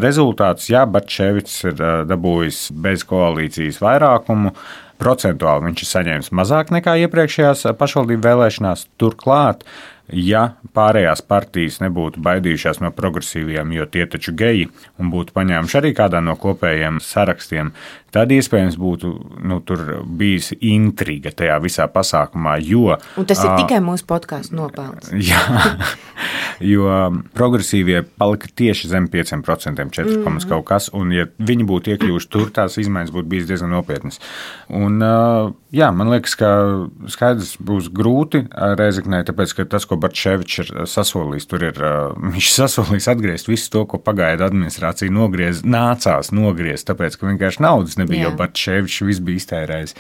rezultātus, jā, Bartaševičs ir dabūjis bez koalīcijas vairākumu. Procentuāli viņš ir saņēmis mazāk nekā iepriekšējās pašvaldību vēlēšanās. Turklāt ja pārējās partijas nebūtu baidījušās no progresīvajiem, jo tie taču geji, un būtu paņēmuši arī kādā no kopējiem sarakstiem, tad iespējams būtu nu, tur bijis intriga tajā visā pasākumā, jo... Un tas ir uh, tikai mūsu podkāstu nopelns. Jā, jo progresīvie palika tieši zem pieciem procentiem, četri komats mm. kaut kas, un ja viņi būtu iekļuvuši tur, tās izmaiņas būtu bijis diezgan nopietnas. Un, uh, jā, man liekas, ka skaidrs būs grūti Rēzeknē, tāpēc, ka tas, ko Bartševičs ir sasolījis, tur ir, uh, viņš sasolījis atgriezt visu to, ko pagaidu administrācija nogriez, nācās nogriezt, tāpēc, ka vienkārši naudas nebija, jā. Jo Bartševičs viss bija iztērējis.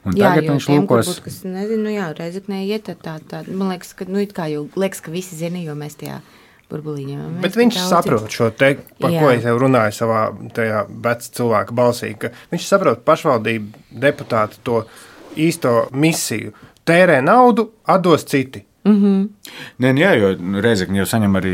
Un jā, tagad viņš tiem, lūkos... Būt, kas, nezinu, nu jā, Rēzeknē iet tā, tā, man liekas, ka, nu, it kā jau liekas, ka visi zina, jo mēs tajā burbulīņā. Bet viņš saprot šo te, par jā. Ko es jau runāju savā tajā vec cilvēka balsī, ka viņš saprot pašvaldību deputātu to īsto misiju. Tērē naudu, atdos citi. Mm-hmm. Nē, jā, jo Rēzekne jau saņem arī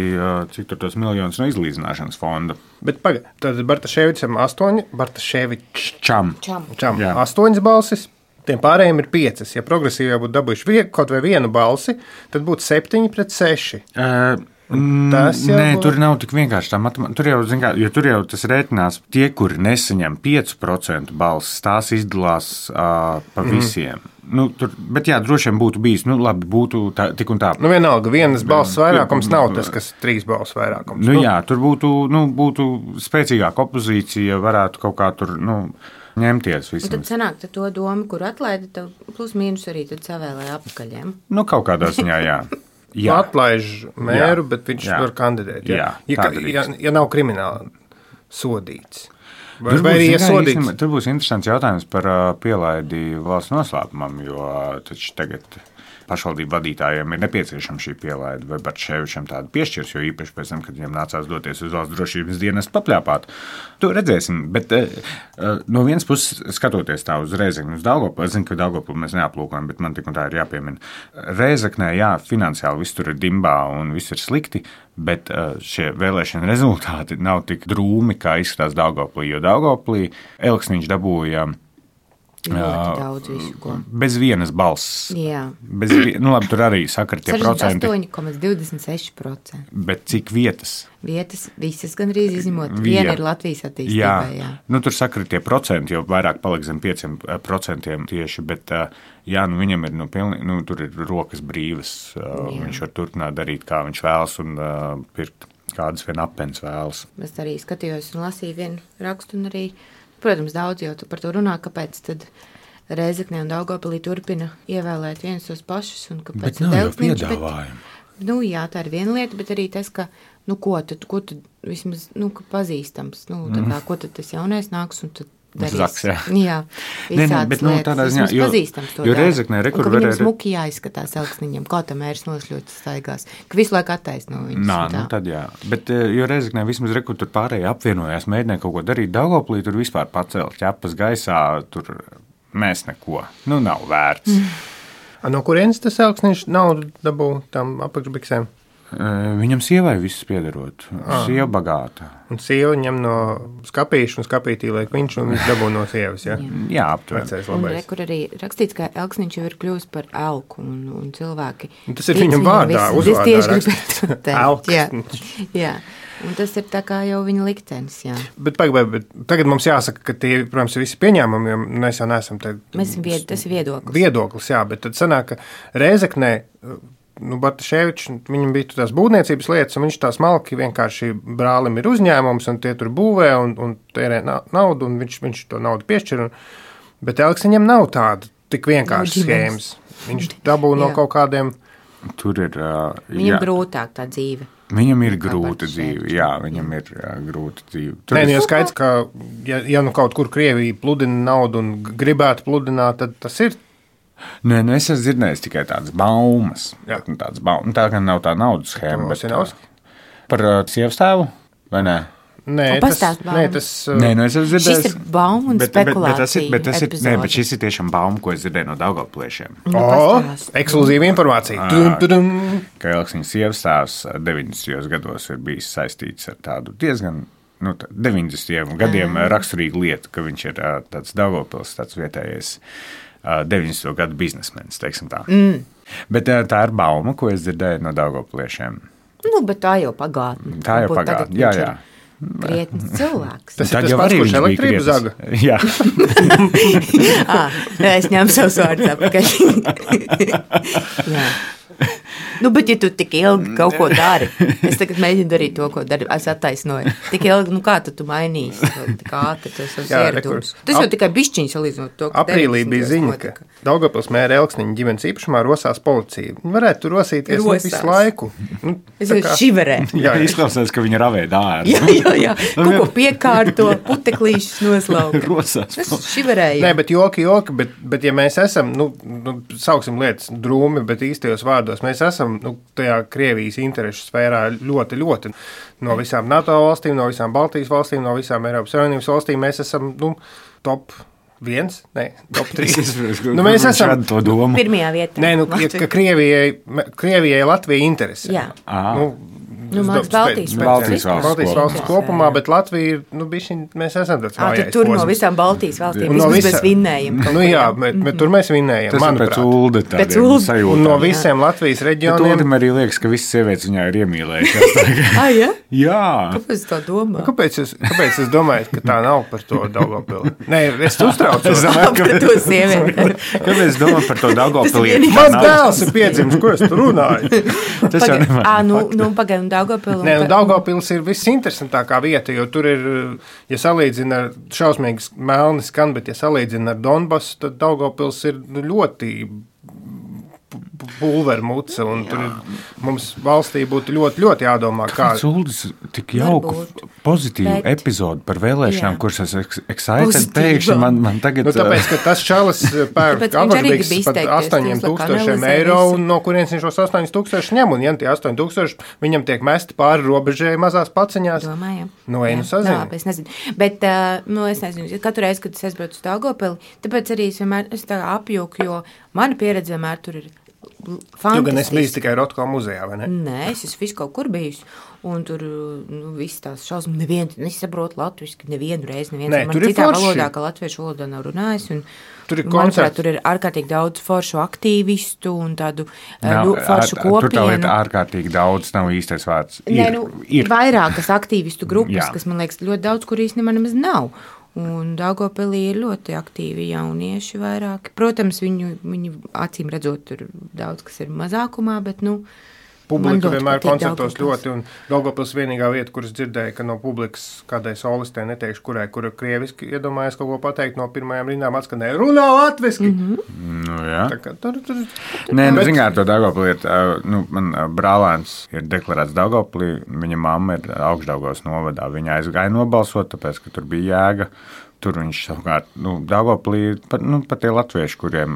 cik tur tos miljonus no izlīdzināšanas fonda. Bet pagaid, tad Bartaševičam astoņi, Bartaševičam Čam. Čam. astoņas balsis, tiem pārējiem ir piecas. Ja progresīvie būtu dabūjuši vie, kaut vai vienu balsi, tad būtu septiņi pret seši. Uh, Nē, būtu... tur nav tik vienkārši tā matemātika. Tur jau, zin kā, jo tur jau tas rēķinās, tie, kuri nesaņem pieci procenti balsis, tās izdalās uh, pa visiem. Mm. Nu, tur, bet jā, droši vien būtu bijis, nu labi, būtu tā, tik un tā. Nu vienalga, vienas balss vairākums nav tas, kas trīs balss vairākums. Nu, nu jā, tur būtu, nu, būtu spēcīgāka opozīcija, varētu kaut kā tur, nu, ņemties vismaz. Un tad sanāk, tad to domu, kur atlaida, tad plus mīnus arī tad savēlēja apakaļiem. Nu, kaut kādā ziņā, jā. Jā. Atlaiž mēru, jā. Bet viņš jā. Var kandidēt. Jā. Jā, ja, ja, ja nav krimināli sodīts. Vai, vai arī iesodīts? Tur būs interesants jautājums par uh, pielaidi valsts noslēpumam, jo uh, taču tagad pašvaldību vadītājiem ir nepieciešama šī pielaide, vai Bartševičam tādu piešķirs, jo īpaši pēc tam, kad viņam nācās doties uz valsts drošības dienestu papļāpāt. To redzēsim, bet uh, no vienas puses skatoties tā uz Rēzekni, uz Daugavpili, es zinu, ka Daugavpili mēs neaplūkojam, bet man tik un tā ir jāpiemina. Rēzeknē, jā, finansiāli viss tur ir dimbā un viss ir slikti, bet uh, šie vēlēšana rezultāti nav tik drūmi, kā izskatās Daugavpilī, jo Daugavpilī Elksniņš dabūja ļoti daudz visu, ko. Bez vienas balss. Jā. Bez, nu labi, tur arī sakar tie procenti. sešdesmit astoņi komats divdesmit seši procenti. Bet cik vietas? Vietas visas gandrīz izņemot. Viena ir Latvijas attīstībā, jā. jā. Nu, tur sakar tie procenti, jo vairāk paliek zem pieciem procentiem tieši, bet jā, nu viņam ir, nu, pilni, nu tur ir rokas brīvas. Jā. Viņš var turpināt darīt, kā viņš vēlas un uh, pirkt kādas vien apens vēlas. Es arī skatījos un lasīju vienu rakstu un arī protams, daudz jau par to runā, kāpēc tad Rēzeknē un Daugavpilī turpina ievēlēt viens tos pašus. Un kāpēc bet nav jau piedāvājumu. Nu jā, tā ir viena lieta, bet arī tas, ka, nu ko tad, ko tad vismaz, nu, ka pazīstams, nu, tad tā, ko tad tas jaunais nāks un tad darīs. Zaks, jā. Jā, ne, ne, bet, nu, tādā ziņā, jo, jo Rēzeknē rekur varēja... Un ka viņam varē... smuki jāizskatās Elksniņam, kā tā mērs nošļots staigās, ka visu laiku attaisno viņus. Nā, nu tad jā, bet jo Rēzeknē vismaz rekur tur pārējie apvienojās, mēģināja kaut ko darīt, Daugavpilī tur vispār pacelt ķepas gaisā, tur mēs neko, nu nav vērts. Mm. No kurienes tas Elksniņš naudu dabū tam apakšbiksēm? Viņam sievai viss piederot. Ah. Sieva bagāta. Un sieva ņem no skapīša un skapītī liek viņš un viņš dabū no sievas, ja? Jā, jā aptuveni. Un re, kur arī rakstīts, ka Elksniņš jau ir kļuvis par elku un, un cilvēki. Un tas ir viņam vārdā, uzvārdā rakstīts. Elksniņš. Jā, jā. Un tas ir tā kā jau viņa liktenis, jā. Bet, bet, bet tagad mums jāsaka, ka tie, protams, ir visi pieņēmumi, jo mēs jau neesam te... Mēs esam vied, tas ir viedoklis. Viedoklis, jā, bet tad sanāk, ka Rēzeknē, nu, Bartaševičs, viņam bija tās būvniecības lietas, un viņš tā smalki vienkārši brālim ir uzņēmums, un tie tur būvē, un, un tērē naudu, un viņš, viņš to naudu piešķir. Un, bet Elksniņam nav tāda tik vienkārši schēmas. Viņš dabū no kaut kādiem... Tur ir... Uh, viņam jā. Grūtāk tā dzīve. Viņam ir grūta dzīve, jā, viņam ir jā, grūta dzīve. Tur Nē, nu, ja skaidrs, ka ja, ja nu kaut kur Krievija pludina naudu un gribētu pludināt, tad tas ir... Nē, nu es esmu dzirdējis tikai tādas baumas. Jā. Tādas baumas. Tā gan nav tā naudas schēma, bet tā, par uh, sievastēvu, vai ne? Nē, tas, nē, tas, uh... nē, nu es esmu dzirdējis. Šis ir bauma un bet, spekulācija. Bet, bet, bet, tas ir, bet, tas ir, nē, bet šis ir tiešām bauma, ko es dzirdēju no Daugavpliešiem. Nu, o, ekskluzīva informācija. Tudum, tudum. Ka Elksniņa sievastēvs deviņdesmitajos gados ir bijis saistīts ar tādu diezgan, nu, deviņdesmitiem gadiem raksturīgu lietu, ka viņš ir tāds Daugavpils, tāds vietējais deviņdesmito gadu biznesmenis, teiksim tā. Mm. Bet tā ir bauma, ko es dzirdēju no daugopliešiem. Nu, bet tā jau pagātne. Tā jau pagātne, jā, jā. Krietnis cilvēks. Tas ir tas pats, kurš elektrību zaga. Jā. ah, es ņemu savus vārdus apakaļ. jā. Nu, bet, ja tu tik ilgi kaut ko dari, es tagad mēģinu darīt to, ko dari, es attaisnoju. Tik ilgi, nu kā tu tu mainīsi? Kā tu tu savus ieradumus? Tas jau tikai bišķiņš salīdzinot to, ka aprīlī bija ziņa, ka Daugavpils mēra Elksniņa ģimenes īpašumā rosās policija. Viņi varētu tur rosīties nu, visu laiku. Nu, es jau šiverē. Jā, izklausās, ka viņi ravē dāru. jā, jā, jā. Kaut ko piekārto, puteklīšus noslauka. Rosās. Es šiverēju. Nē, bet joki, joki, bet, bet ja mēs esam, nu, nu, sauksim lietas drūmi, bet īstajos vārdos, mēs esam nu, tajā Krievijas interešu sfērā ļoti, ļoti no visām NATO valstīm, no visām Baltijas valstīm, no visām Eiropas Savienības valstīm. Mēs esam nu, top viens, ne, top trīs. nu, mēs esam to domu. Pirmajā vietā. Nē, nu, ja, ka Krievijai, Krievijai Latvija interesē. Jā. Nu, Nu, māc Baltijas valsts Baltijas valsts kopumā, bet Latvija ir, nu, bišķiņ, mēs esam tāds vājais tur posms. No visām Baltijas valstīm, no vismaz visa... mēs vinnējam. Nu jā, bet, bet tur mēs vinnējam, Tas manuprāt. Tas ir pēc ulde tādiem sajūtām. Un no visiem Latvijas reģioniem. Bet uldim arī liekas, ka visas sievietes viņā ir iemīlējušās. ah, ja? Jā. Kāpēc tā domā? Kāpēc es, kāpēc es domāju, ka tā nav par to Daugavpili? Nē, es uztraucos. par to sievieti. Kāpēc es domāju par to Daugavpili? Mans dēls ir piedzimis, ko es tur runāju? Tas jau nevar. Ā, nu, nu pagaid, un Daugavpili. Nē, nu Daugavpils ir visinteresantākā vieta, jo tur ir, ja salīdzina ar šausmīgas melni skan, bet ja salīdzina ar Donbasu, tad Daugavpils ir ļoti pulvermuca, un tur ir, mums valstī būtu ļoti, ļoti jādomā, kā... Kāds Uldis tik jauku, pozitīvu bet... epizodu par vēlēšanām, kuras es excited pēkšņi, man, man tagad... Nu, tāpēc, ka tas čalis pērk apakdīgs pat astoņiem tūkstošiem eiro, un no kurienes viņš šos astoņus tūkstošus ņem, un ja tie astoņi tūkstoši viņam tiek mesti pāri robežai mazās paciņās. Domājam. Nu, ej, nu sazini. Jā, es nezinu. Bet, uh, nu, es nezinu, katru reizi, kad es aizbraucu uz Daugavpili, tāpēc arī es vienmēr es tā apjūku, jo mana pieredze vienmēr tur ir fantastiski. Tu gan esi bijis tikai Rotko muzejā, vai ne? Nē, es esmu visu kaut kur bijis. Un tur nu, viss tās šausmas, neviens nesaprot latviski, nevienu reizi, neviens Nē, man citā valodā, ka latviešu valodā nav runājis. Un, tur ir manuprāt, tur ir ārkārtīgi daudz foršu aktīvistu un tādu nav, foršu ar, kopienu. Tur tā lieta ārkārtīgi daudz nav īstais vārds. Ir, Nē, nu, ir. Vairākas aktīvistu grupas, Jā. Kas, man liekas, ļoti daudz, kur īstenībā nemaz nav. Un Daugavpilī ir ļoti aktīvi jaunieši vairāki. Protams, viņu, viņu acīm redzot, tur daudz, kas ir mazākumā, bet, nu, publika vienmēr koncertos ļoti, un Daugavpils vienīgā vieta, kuras dzirdēja, ka no publikas kādai solistē neteikšu, kurai, kura krieviski iedomājas kaut ko pateikt, no pirmajām rindām atskanēja runā latviski. Mm-hmm. Nu, jā. Tā kā tur, tur, tur. Nē, nu, zinār, to Daugavpili ir, nu, man brālēns ir deklarēts Daugavpilī, viņa mamma ir Augšdaugavas novadā, viņa aizgāja nobalsot, tāpēc, ka tur bija jēga. Tur viņš savukārt, nu, Daugavpilī, pat, nu, pat tie latvieši, kuriem,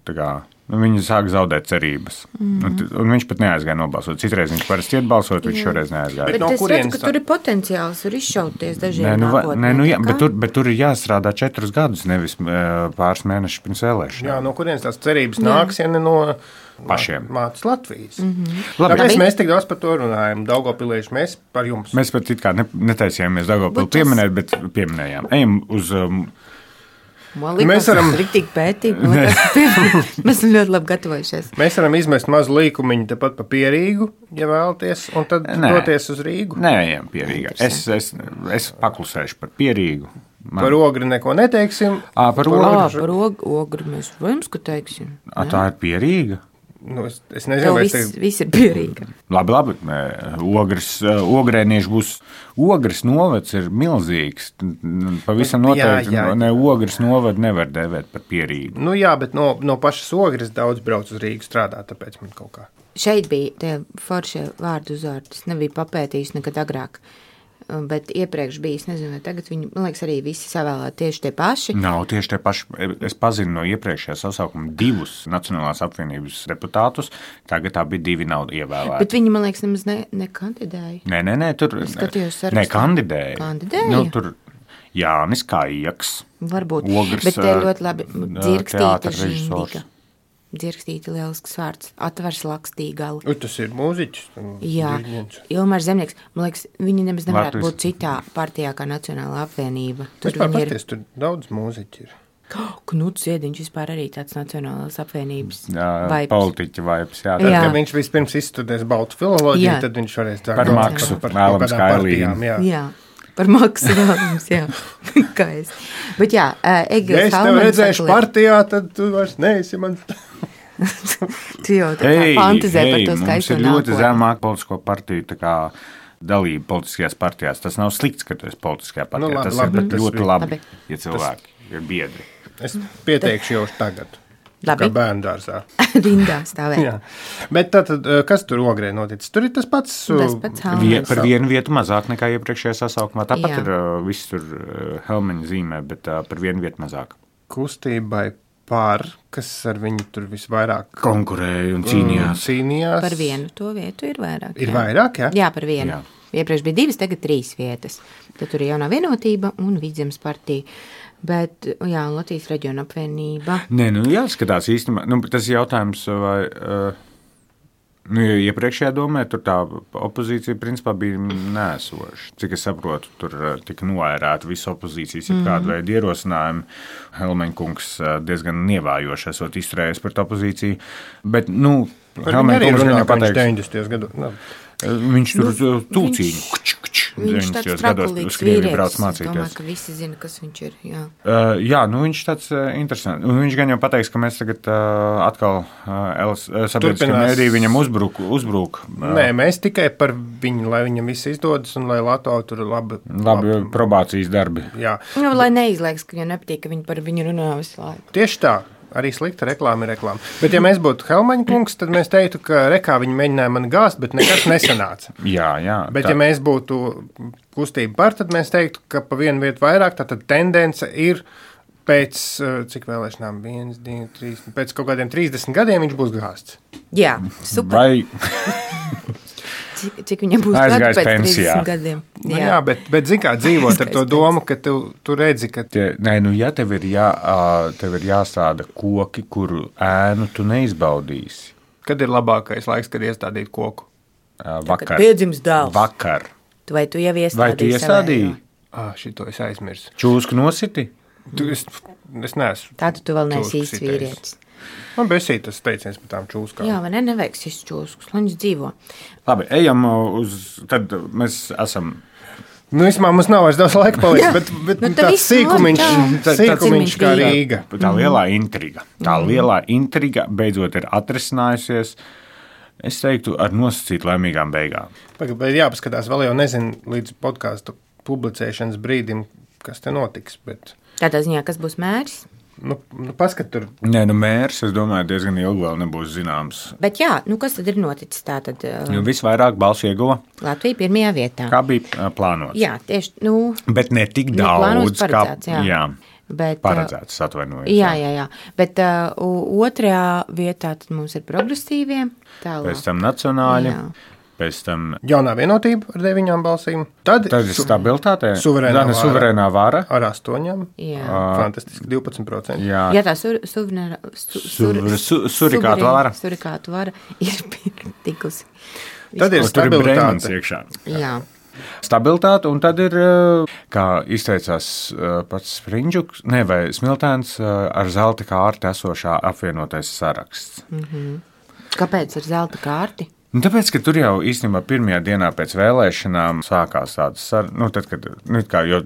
tā kā, nu, viņi sāk zaudēt cerības. Mm. Un, un viņš pat neaizgāja nobalsot. Citreiz viņš parasti iet balsot, viņš šoreiz neaizgāja. Bet no es redzu, ka tur ir potenciāls, var izšauties dažiem nē, nu, nākotnē. Nē, nu, jā, bet, tur, bet tur ir jāstrādā četrus gadus, nevis pāris mēnešus pirms vēlēšanām. Jā, no kurienes tās cerības nāks, ja ne no... pašiem. Mācas Latvijas. Mm-hmm. Labi, Tāpēc mēs tik daudz par to runājam. Daugavpilieši, mēs par jums. Mēs pat it kā ne, netaisījāmies Daugavpili tas... pieminēt, bet pieminējām. Ejam uz... Um... Man liekas, mēs varam riktīgi pētīt. Mēs esam ļoti labi gatavojušies. Mēs varam izmest mazu līkumiņu tepat pa Pierīgu, ja vēlaties, un tad Nē. doties uz Rīgu. Nē, ejam Pierīgā. Es, es, es paklusēšu par Pierīgu. Man... Par ogri neko neteiksim. À, par ogri, à, par ogri, ogri mēs vajams, ka teiksim. À, tā ir Pierīga? Nu, es, es nezinu, vai viss, es te... viss ir Pierīga. Labi, labi. Ogres, ogrēnieši būs... Ogres novads ir milzīgs. Pavisam noteikti. Jā, jā. Ne, ogres novad nevar dēvēt par Pierīgu. Nu jā, bet no, no pašas ogres daudz brauc uz Rīgu strādāt, tāpēc man kaut kā. Šeit bija tie foršie vārdu uzvārdi. Es nebiju papētījis nekad agrāk. Bet iepriekš bija, es nezinu, vai tagad viņi, man liekas, arī visi savēlēti tieši tie paši. Nav tieši tie paši. Es pazinu no iepriekšējā sasaukuma divus Nacionālās apvienības deputātus. Tagad tā bija divi nav ievēlēti. Bet viņi, man liekas, nemaz ne, nekandidēja. Nē, nē, nē, tur ne, kandidēja. Kandidēja? Nu, tur Jānis Kājaks. Varbūt, Ogres, bet te ļoti labi dzirkstīta žindiga. režisors. Dzirkstīta lielisks vārds. Atvars Lakstīgali. U, tas ir mūziķis. Jā, Ilmārs Zemnieks. Man liekas, viņi nemaz nevarētu būt citā partijā kā Nacionālā apvienība. Tur, viņi ir... paties, tur daudz mūziķi ir. Knuts Ziediņš vispār arī tāds Nacionālās apvienības vibes. Politiķa vibes, jā. Tad, jā. Kad viņš vispirms izstudēs baltu filoloģiju, jā. Tad viņš varēs tā. Par maksu, par vēlams kailīm. Jā. jā, par maksu vēlams, jā. Kā es. Bet jā, Egils ja es tev redzēšu partijā, tad tu vairs neesi man... tu jau tā kā fantazē par to skaisto nākotni. Mums ir ļoti zemāk politisko partiju, tā kā dalība politiskajās partijās. Tas nav slikts, ka tu esi politiskajā partijā. Nu, labi, tas labi, ir tas ļoti labi, labi, ja cilvēki tas... ir biedri. Es pieteikšu jau tagad. Labi. Kā bērnu dārzā. Rindā stāvēt. Jā. Bet tātad, kas tur Ogrē noticis? Tur ir tas pats. Tas pats Vie, par vienu vietu mazāk nekā iepriekšējā sasaukumā. Tāpat jā. Ir viss tur Helmeņa zīmē, bet par vienu vietu mazāk. Kustībai par, kas ar viņu tur visvairāk konkurēja un cīnījās. cīnījās. Par vienu to vietu ir vairāk. Ir jā. vairāk, jā? Jā, par vienu. Jā. Iepriekš bija divas, tagad trīs vietas. Tad tur ir Jaunā vienotība un Vidzemes partija. Bet, jā, Latvijas reģiona apvienība. Nē, nu jāskatās īstenībā. Nu, tas jautājums, vai, uh, nu, ja iepriekšējā domē, tur tā opozīcija principā bija nēsoša. Cik es saprotu, tur uh, tika noērēta visa opozīcijas, ja mm. kāda veida ierosinājumi. Helmeņa kungs uh, diezgan nievājoši esot izturējies par tā opozīciju. Bet, nu, Helmeņa kungs gan jau pateiks. deviņdesmitajos gados. No. Viņš tur nu, tulcīņu. Viņš tāds sprakulīgs vīrietis. Es domāju, ka visi zina, kas viņš ir. Jā, uh, jā nu viņš tāds uh, interesants. Viņš gan jau pateiks, ka mēs tagad uh, atkal uh, sabiedriskajā mēdī viņam uzbruk. uzbruk uh, Nē, mēs tikai par viņu, lai viņam viss izdodas un lai Lato tur labi... Labi probācijas darbi. Jā. Nu, lai neizliekas, ka viņam nepatīk, ka viņi par viņu runā visu laiku. Tieši tā. Arī slikta reklāma ir reklāma. Bet, ja mēs būtu Helmeņa kungs, tad mēs teiktu, ka rekā viņi mēģināja mani gāzt, bet nekas nesanāca. jā, jā. Bet, tā. ja mēs būtu kustība par, tad mēs teiktu, ka pa vienu vietu vairāk, tad tendence ir pēc, cik vēlēšanām, viens, divi, trīs, pēc kaut kādiem trīsdesmit gadiem viņš būs gāzts. Jā, super. Vai... Cik, cik viņam būs gadu pēc trīsdesmit gadiem. Jā, nu, jā bet, bet zin kā dzīvot ar to domu, ka tu, tu redzi, ka... Tie, nē, nu, ja tev ir, jā, tev ir jāstāda koki, kuru ēnu tu neizbaudīsi. Kad ir labākais laiks, kad iestādīt koku? Vakar. Kad piedzims dēls. Vakar. Vai tu jau iestādīji? Vai tu iestādīji? Ah, šito es aizmirsu. Čūsku nositi? Tu, es, es neesmu. Tātad tu vēl neesi īsts vīrietis. Man besīt tas teiciens par tām čūskām. Jā, vai ne, nevajag šis čūskus, lai viņš dzīvo. Labi, ejam uz, tad mēs esam... Nu, vismā mums nav vairs daudz laika palikt, bet, bet nu, tāds sīkumiņš, sīkumiņš kā Rīga. Tā lielā intriga, tā lielā intriga beidzot ir atrisinājusies, es teiktu, ar nosacīt laimīgām beigām. Bet jāpaskatās, vēl jau nezinu līdz podcastu publicēšanas brīdim, kas te notiks, bet... Tādā ziņā, kas būs mērs? Nu, nu paskat tur. Nē, nu mērs, es domāju, diezgan ilgi vēl nebūs zināms. Bet jā, nu kas tad ir noticis tā tad? Uh, nu, visvairāk balsu ieguva. Latvija pirmajā vietā. Kā bija uh, plānots. Jā, tieši, nu. Bet ne tik daudz, kā, jā. Jā. Bet, paredzēts, atvainojos. Jā, jā, jā. Bet uh, otrajā vietā tad mums ir progresīvie. Tālāk. Pēc tam nacionāļi. Jā. Pēc tam Jaunā vienotība ar deviņām balsīm. Tad, tad ir stabilitāte. Suverēnā vara. Suverēnā vara. Ar astoņām. Jā. Fantastiski, divpadsmit procenti. Jā. Jā, tā sur, suverēnā, su, sur, su, surikātu vara. Surikātu vara ir tikusi. Tad ir stabilitāte. Iekšā. Jā. Stabilitāte, un tad ir, kā izteicās pats Sprindžuks, ne, vai Smiltēns, ar zelta kārti esošā apvienotais saraksts. Mm-hmm. Kāpēc ar zelta kārti? Nu, tāpēc, ka tur jau īstenībā pirmajā dienā pēc vēlēšanām sākās tādas sarunas, nu, tad, kad, nu, kā jau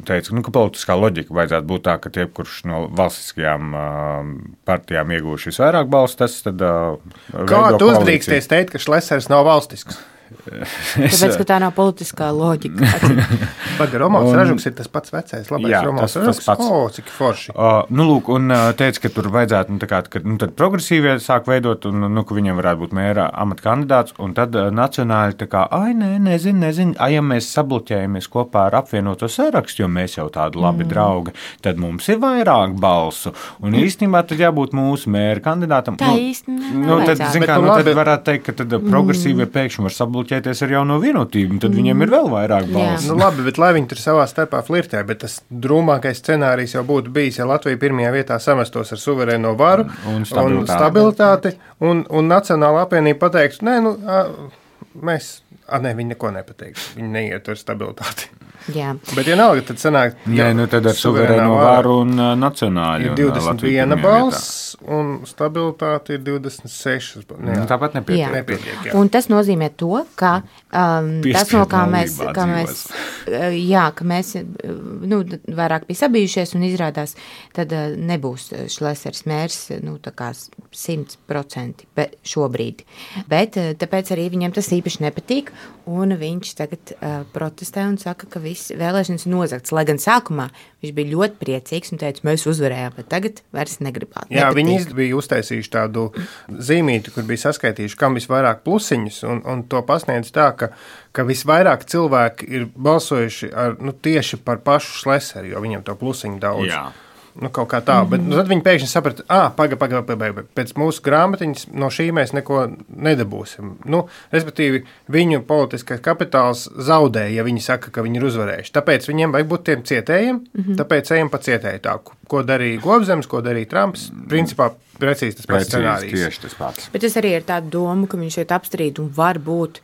teica, nu, ka politiskā loģika vajadzētu būt tā, ka tie, kurš no valstiskajām uh, partijām iegūši visvairāk balstu, tas tad uh, Kā tu uzdrīksties teikt, ka Šlesers nav valstisks? Tāpēc, ka tā nav politiskā loģika. Baga Romanovs Ražuks ir tas pats vecais, labais jā, Romanovs tas, Ražuks. Tas pats. O, cik forši. Uh, nu, lūk, un uh, teica, ka tur vajadzētu, nu, tā kā, ka, nu, tad progresīvie sāk veidot, un, nu, ka viņam varētu būt mēra amata kandidāts, un tad uh, nacionāļi tā kā, ai, nē, nezinu, nezinu, ai, ja mēs sabloķējamies kopā ar apvienoto sarakstu, jo mēs jau tādi labi mm. draugi, tad mums ir vairāk balsu, un mm. īstenībā tad jābūt mūsu mēra kandidātam. Tā nu, īstenībā nu, tad, zin, kā, nu, tad varētu teikt, ka tad progresīvie mm. pēkšņi var sabloķēties ar jauno vienotību, tad mm. viņiem ir vēl vairāk balsu. Nu, labi, bet lai viņi tur savā starpā flirtē, bet tas drūmākais scenārijs jau būtu bijis, ja Latvija pirmajā vietā samestos ar suverēno varu un stabilitāti, un, stabilitāti, un, un Nacionāla apvienība pateiktu, nē, nu, a, mēs, a, nē, viņi neko nepateiks, viņi neiet ar stabilitāti. Jā. Bet, ja nav, tad sanāk, ja, nu tad ar suverēno varu un uh, nacionāļu. Ir divdesmit viena balss un stabilitāte ir divdesmit sešas. Nu, tāpat nepietiek. Jā. nepietiek jā. Un tas nozīmē to, ka um, tas, no kā mēs, kā mēs, jā, ka mēs nu, vairāk bija sabijušies un izrādās, tad uh, nebūs Šlesers mērs nu, tā kā simt procenti šobrīd. Bet uh, tāpēc arī viņam tas īpaši nepatīk, un viņš tagad uh, protestē un saka, ka viss vēlēšanas nozagts, lai gan sākumā viņš bija ļoti priecīgs un teica, mēs uzvarējām, bet tagad vairs negribētu. Jā, viņi bija uztaisījuši tādu zīmīti, kur bija saskaitījuši, kam visvairāk plusiņus, un, un to pasniedz tā, ka, ka visvairāk cilvēki ir balsojuši ar, nu, tieši par pašu Šleseru, jo viņam to plusiņu daudz. Jā. Nu, kaut kā tā, bet nu, tad viņi pēkšņi saprata, ah, paga, paga, paga, paga, pēc mūsu grāmatiņas no šī mēs neko nedabūsim. Nu, respektīvi, viņu politiskais kapitāls zaudēja, ja viņi saka, ka viņi ir uzvarējuši. Tāpēc viņiem vajag būt tiem cietējiem, mm-hmm. tāpēc ejam pa cietēju tāku. Ko darīja Gobzems, ko darīja Trumps, principā precīzi tas pats scenārijs. Tieši tas pats. Bet tas arī ir tāda doma, ka viņš šeit apstrīd un var būt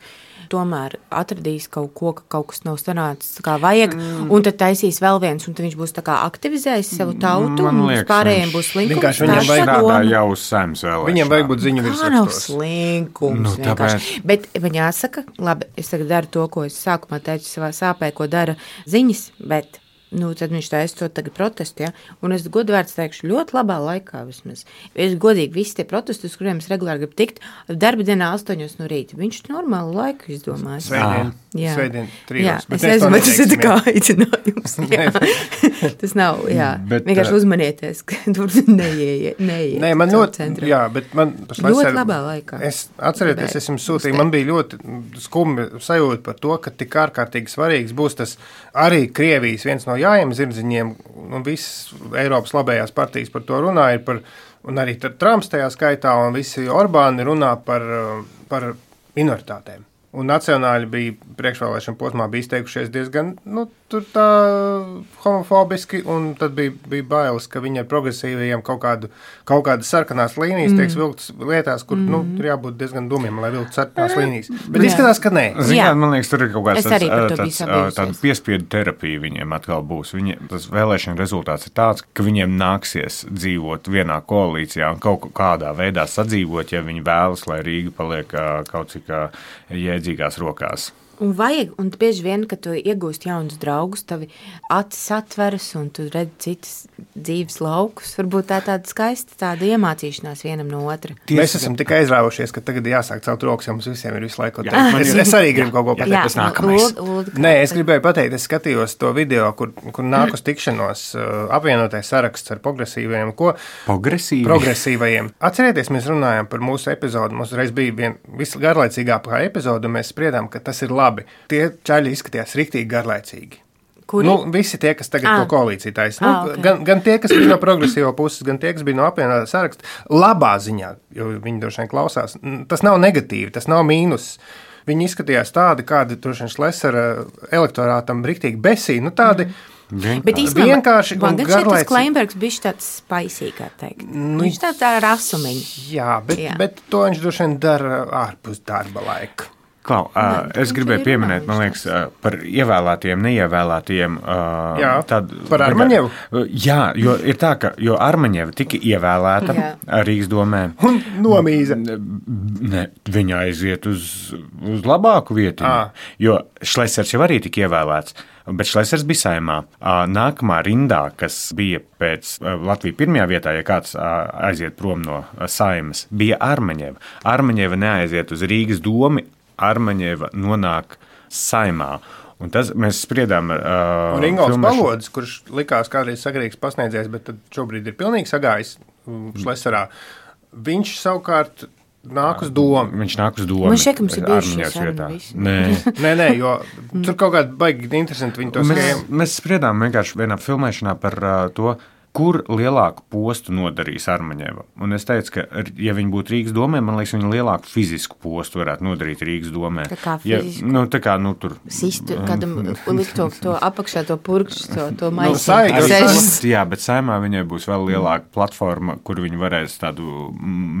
tomēr atradīs kaut ko, ka kaut kas nav sanācis kā vajag, mm. un tad taisīs vēl viens, un tad viņš būs tā kā aktivizējis savu tautu, Man un liekas, pārējiem būs slinkums. Vienkārši viņam vajag strādā jau uz saimnes vēlēšanām. Viņam vajag būt ziņu virsrakstos. Kā nav virsrakstos. slinkums, Nu, tāpēc... Bet man jāsaka, labi, es tagad daru to, ko es sākumā teicu savā sāpē, ko dara ziņas, bet nu, tad viņš taisa to tagad protestu, ja? Un es godvārds teikšu ļoti labā laikā vismaz. Es godīgi visi tie protesti, uz kuriem es regulāri gribu tikt, darba dienā astoņos no rīta. Viņš normālu laiku izdomājas. Svētdien, jā. svētdien trijos. Jā, bet es nezinu, bet tas ir tā kā aicinājums. Tas nav, jā. Bet, vienkārši uzmanieties, ka tur neieiet. Neieiet Nē, man ļoti, jā, bet man ļoti labā laikā. Es atcerieties, es jums sūtīju, man bija ļoti skumbi sajūta par to, ka tik ārkārtīgi svarīgs būs tas arī Krievijas viens no jājiem zirdziņiem, un visas Eiropas labējās partijas par to runāja, par, un arī Trumps tajā skaitā, un visi Orbāni runā par, par minoritātēm. Un nacionāļi bija priekšvēlēšana posmā bija izteikušies diezgan, nu, tur tā homofobiski, un tad bija, bija bailes, ka viņi ar progresīvajiem kaut kādu, kaut kādas sarkanās līnijas mm. tieks vilktas lietās, kur, mm. nu, tur jābūt diezgan dumiem, lai vilktu sarkanās līnijas. Bet jā. Izskatās, ka nē. Zināt, man liekas, tur ir kaut kāds tāds, tāds, tāda piespiedu terapija viņiem atkal būs. Viņi, tas vēlēšana rezultāts ir tāds, ka viņiem nāksies dzīvot vienā koalīcijā un kaut kādā veidā sadzīvot, ja viņi vēlas, lai Rīga paliek kaut cik jēdzīgās rokās. Un vajag, un bieži vien, kad tu iegūst jaunus draugus, tavi acis atveras un tu redzi citas dzīves laukus, varbūt tā tāda skaista tāda iemācīšanās vienam no otra. Tieši Mēs esam tik aizrāvušies, ka tagad jāsāk celt rokas, ja mums visiem ir visu laiku teikt. Es, es arī gribu kaut ko pateikt. Jā, tas nākamais. Lūd, lūd, Nē, es gribēju pateikt, es skatījos to video, kur, kur nāk uz tikšanos apvienotais saraksts ar progresīvajiem. Ko? Progresīvi? Progresīvajiem. Atcerieties, mēs runājam par mūsu epizodu. Mums reiz bija vien visgarlaicīgākā epizoda, un mēs spriedām, ka tas ir labi. Labi. Tie čaļi izskatījās riktīgi garlaicīgi. Kuri? Nu, visi tie, kas tagad ah. to koalīciju taisa. Nu, ah, okay. gan, gan tie, kas bija no progresīvo puses, gan tie, kas bija no apvienotā saraksta. Labā ziņā, jo viņi droši vien klausās. Tas nav negatīvi, tas nav mīnus. Viņi izskatījās tādi, kādi droši vien Šlesera elektorātam riktīgi besī. Nu, tādi mm. Bet īstenībā, vienkārši man gan šeit tas Kleinbergs bija tāds spicy, kā teikt. Nu, viņš tāds tā rasumiņš. Jā, bet, jā. bet to viņš droši vien dara ārpus darba laika. Klau, uh, es gribēju pieminēt, man liekas, uh, par ievēlētiem, neievēlētiem. Uh, jā, tad, par Armaņevu? Uh, jā, jo ir tā, ka jo Armaņeva tika ievēlēta jā. Rīgas domē. Un nomīza. Ne, viņa aiziet uz, uz labāku vietu. À. Jo Šlesers jau arī tika ievēlēts. Bet Šlesers bija Saeimā. Nākamā rindā, kas bija pēc Latvijas pirmajā vietā, ja kāds aiziet prom no Saeimas, bija Armaņeva. Armaņeva neaiziet uz Rīgas domi, Armaņeva nonāk Saeimā. Un tas mēs spriedām ar uh, Ringolds Balodis, kurš likās kādreiz sagarīgs pasniedzējs, bet tad šobrīd ir pilnīgi sagājis Šleserā. Viņš savukārt nāk uz domu. Viņš nāk uz domu. Man šeit, ka mums ir bijušas vietā. Nē. nē, nē, jo tur kaut kādi baigi interesanti viņi to mēs, skajam. Mēs spriedām vienkārši vienā filmēšanā par uh, to, kur lielāku postu nodarīs Armaņeva. Un es teicu, ka, ja viņi būtu Rīgas domē, man liekas, viņi lielāku fizisku postu varētu nodarīt Rīgas domē. Tā kā fizisku? Ja, nu, tā kā, nu, tur... Sistu, kādam likt to, to apakšā, to purkšķu, to, to Nu, maisi. sai- Jā, bet Saeimā viņai būs vēl lielāka platforma, kur viņi varēs tādu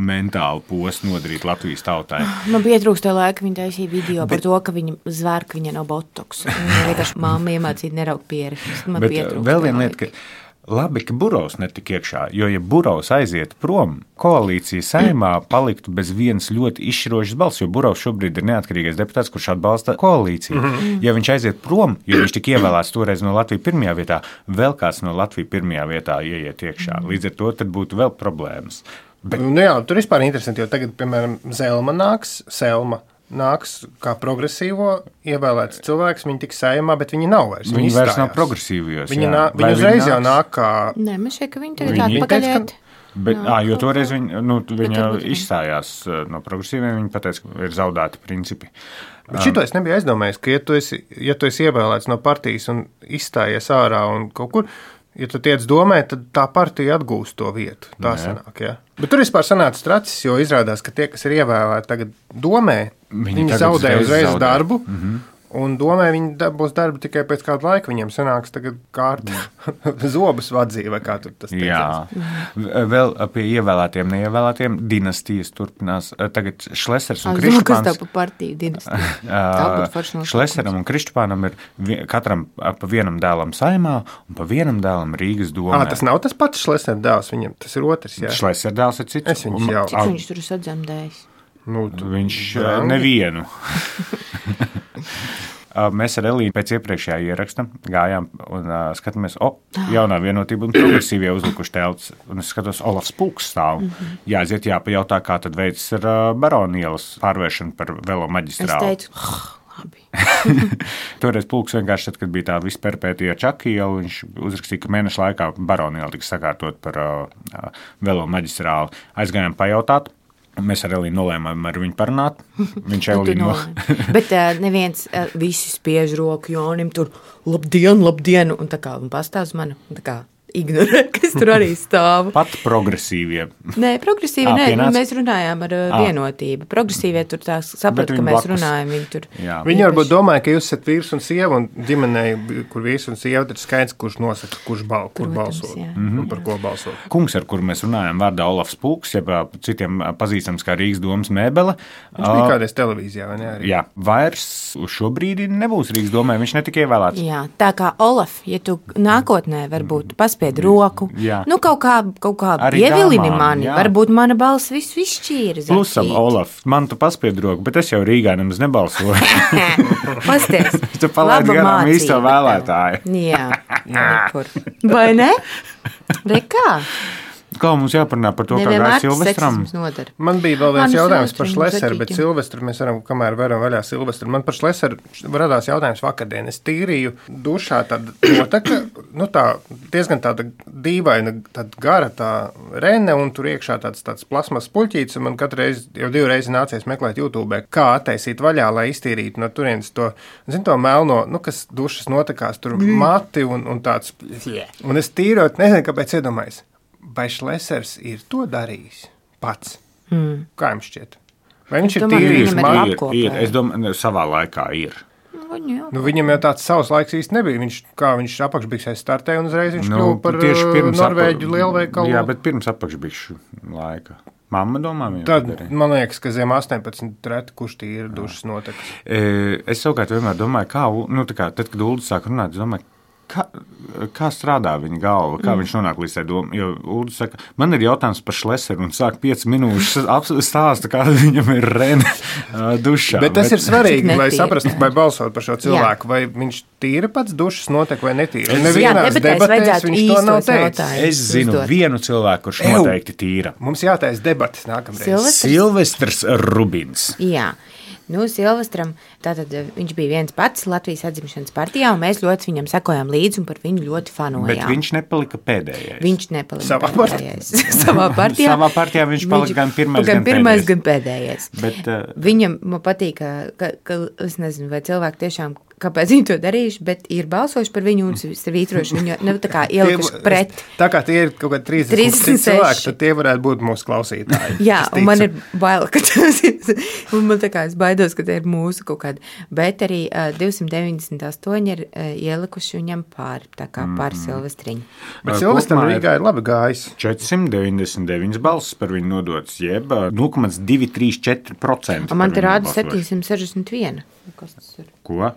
mentālu postu nodarīt Latvijas tautai. Man bija trūkst to laika, viņa taisīja video bet, par to, ka viņa zvēr, ka viņa nav botoks. Viņa vienkārši mamma iemācīja nerauk pieri. Man Bet pietrūkst vēl to viena laika. lieta, ka labi, ka Burovs netika iekšā, jo ja Burovs aiziet prom, koalīcija Saeimā paliktu bez vienas ļoti izšķirošas balss, jo Burovs šobrīd ir neatkarīgais deputāts, kurš atbalsta koalīciju. Mm-hmm. Ja viņš aiziet prom, jo viņš tika ievēlēts toreiz no Latvijas pirmajā vietā, vēl kāds no Latvijas pirmajā vietā ieiet iekšā. Līdz ar to tad būtu vēl problēmas. Bet... Nu, jā, tur vispār interesanti, jo tagad, piemēram, Zelma nāks, Selma nāks kā progresīvo ievēlēts cilvēks, viņi tiks Saeimā, bet viņi nav vairs. Viņi, viņi vairs nav progresīvos. Viņi, nā, viņi uzreiz viņi jau nāk kā... Nē, man šeit, ka viņi tagad Viņi- atpakaļiet. Bet, Nā, ā, jo kaut toreiz kā. viņa, nu, viņa varbūt viņi- izstājās uh, no progresīviem, viņa pateica, ka ir zaudēti principi. Bet šito es nebiju aizdomājies, ka ja tu esi, ja tu esi ievēlēts no partijas un izstājies ārā un kaut kur, ja tu tiec domē, tad tā partija atgūst to vietu. Tā Jā. sanāk, jā. Bet tur vispār sanāca tracis, jo izrādās, ka tie, kas ir ievēlēti tagad domē, Viņi viņi, viņi tagad zaudē uzreiz uzreiz zaudē. darbu, Mhm. un domē, viņi da- būs darba tikai pēc kāda laika, viņiem sanāks tagad kārta zobus vadzīja, vai kā tur tas Jā, teicās. V- vēl pie ievēlētiem, neievēlētiem dinastijas turpinās. Tagad Šlesers un Es zinu, kas tā Krištupāns. pa partiju dinastija. Tā būtu forša nosaukums. Šleseram un Krištupānam ir vi- katram ā, pa vienam dēlam Saeimā un pa vienam dēlam Rīgas domē. Ā, tas nav tas pats Šlesner dēls, viņam tas ir otrs, jā. Šleser dēls ir cits. Es viņus Un- jau- Cik ā, viņš tur ir sadzemdējis? Nu, tu- Viņš ā, Brangi. nevienu. Ā, Mēs ar Elīnu pēc iepriekšējā ieraksta gājām un uh, skatāmies, o, jaunā vienotība un progresīvie uzlikuši telts. Un es skatos, Olafs Pulks stāv. Mm-hmm. Jāaiziet, jāpajautā, kā tad veids ar uh, Baronielas pārvēršanu par velo Es maģistrālu. teicu, labi. Toreiz Pulks vienkārši, tad, kad bija tā visperpētija Čakiela, viņš uzrakstīja, ka mēneša laikā Baroniela tiks sakārtot par uh, uh, velo maģistrālu. Aizgājām pajautāt. Mēs ar Elīnu nolēmām ar viņu parunāt. Viņš Nu, tu Elīnu no... nolēmi. Bet uh, neviens uh, visi spiež roku Jonim tur, labdien, labdien, un tā kā un pastāv uz mani, un tā kā ignorē, kas tur arī stāv. Pat progresīvie. Nē, progresīvi, Ā, nē, pienāca? mēs runājām ar uh, Ā. vienotību. Progresīvie tur tā saprat, Bet ka viņi mēs blakus. runājam, viņi tur. Jā. Viņi varbūt domāja, ka jūs esat vīrs un sieva, un ģimenē, kur vīrs un sieva, tad skaidrs, kurš nosaka, kurš bal, kur Protams, balso jā. un par ko balso. Kungs, ar kuru mēs runājam, vārdā Olafs Pulks, jeb ā, citiem ā, pazīstams kā Rīgas domas mēbele. Viņš bija kādreiz televīzijā, vai ne? Arī? Jā, vairs uz šo brīdi nebūs Rīgas domē, viņš netika ievēlēts. Jā, tā kā Olaf, ja tu nākotnē varbūt paspied roku, Jā. nu kaut kā, kaut kā Arī ievilini dāmām, mani, jā. varbūt mana balss visu izšķīra. Plusam, Olaf, man tu paspied roku, bet es jau Rīgā nemaz nebalsoju. Pasties. Tu palaidi Laba garām īsto mācība vēlētāju. tev. Jā, nekur. Vai ne? Rekā? Kā mums jāparunā par to, kā Nevienmēr gāja tas Silvestram? seksisms nodara. Man bija vēl viens Manu jautājums par Silvestru Šlesneru, bet zaķīti. Silvestru mēs varam, kamēr varam vaļā Silvestru. Man par Šlesneru radās jautājums vakardien. Es tīrīju dušā tāda notaka, nu tā diezgan tāda dīvaina, tāda gara tā rene, un tur iekšā tāds, tāds plasmas puļķīts, un man katru reizi, jau divu reizi nācies meklēt YouTube, kā attaisīt vaļā, lai iztīrītu no turienes to, zin, to melno, nu, kas dušas notakās, tur mati un, un tāds. Un es tīrot, nezinu, kāpēc iedomājos. Vai Šlesners ir to darījis pats? Mm. Kā jums šķiet? Vai viņš Es ir domāju, tīrījis viņam ir mani? labi. Ir, ir, es domāju, savā laikā ir. Viņu jau. Nu, viņam jau tāds savs laiks īsti nebija. Viņš, kā viņš apakšbiksēs startēja un uzreiz viņš Nu, kļuva par tieši uh, pirms Norvēģu apa- lielveikalu. Jā, bet pirms apakšbikšu laika. Mamma domā, viņa Tad, to darīja. man liekas, ka zem astoņpadsmit reti, kurš tīra dušas notekas. E, Es savukārt vienmēr domāju, kā, U- nu, tā kā, tad, kad Uldis sāk runāt, es domāju, kā, kā strādā viņa galva, kā mm. viņš nonāk līdz tai domai. Jo Uldis saka, man ir jautājums par Šlesneru un sāk pieci minūtes ap- stāsta, kā viņam ir rene ā, dušā. Bet tas ir svarīgi, Cik lai netīra. saprastu, vai balsot par šo cilvēku, vai viņš tīra pats dušas notek vai netīra. Es- Nevienās Jā, debatēs debatēs vajadzētu viņš to nav īstos teicis. jautājumus. Es zinu uzdot. vienu cilvēku, kurš Ew. noteikti tīra. Mums jātais debatas nākamreiz. Silvestrs? Silvestrs Rubins. Jā. Nu, Silvestram, tātad eh, viņš bija viens pats Latvijas atzimšanas partijā, un mēs ļoti viņam sekojām līdzi un par viņu ļoti fanojām. Bet viņš nepalika pēdējais. Viņš nepalika Savā pēdējais. Savā partijā. Savā partijā viņš palika gan pirmais, gan, gan pirmais, pēdējais. gan pēdējais. Bet, uh, Viņam man patīk, ka, ka, ka es nezinu, vai cilvēki tiešām kāpēc viņi to darījuši, bet ir balsojuši par viņu un svītrojuši viņu, nu, tā kā ielikuši pret. Tā kā tie ir kaut kādi trīsdesmit cilvēki, tad tie varētu būt mūsu klausītāji. Jā, un man ir bail, ka tas ir, un man tā kā es baidos, ka tie ir mūsu kaut kādi, bet arī uh, divsimt deviņdesmit astoņi ir uh, ielikuši viņam pāri, tā kā pāri Silvestriņu. Bet Silvestram Rīgā ir labi gājis. četrsimt deviņdesmit deviņas balsis par viņu nodotas, jeb nulle komats divi trīs četri procenti. Man te rāda septiņsimt sešdesmit viens. Kas tas ir? Ko?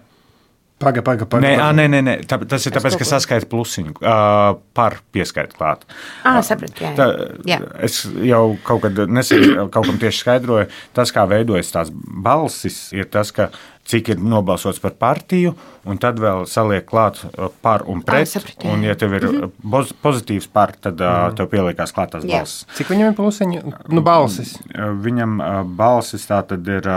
Paga, paga, paga. Nē, ā, nē, nē, nē. Tā, tas ir tāpēc, ka saskaita plusiņu uh, par pieskaitu klāt. Ā, sapratu, jā. Tā, jā. Es jau kaut kad nesen kaut kam tieši skaidroju, tas, kā veidojas tās balsis, ir tas, ka cik ir nobalsots par partiju, un tad vēl saliek klāt par un pret. Ā, sapratu, un, ja tev ir mm-hmm. pozitīvs par, tad mm-hmm. tev pieliekās klāt tās jā. balsis. Cik viņam ir plusiņu? Nu, balsis. Viņam balsis tā tad ir...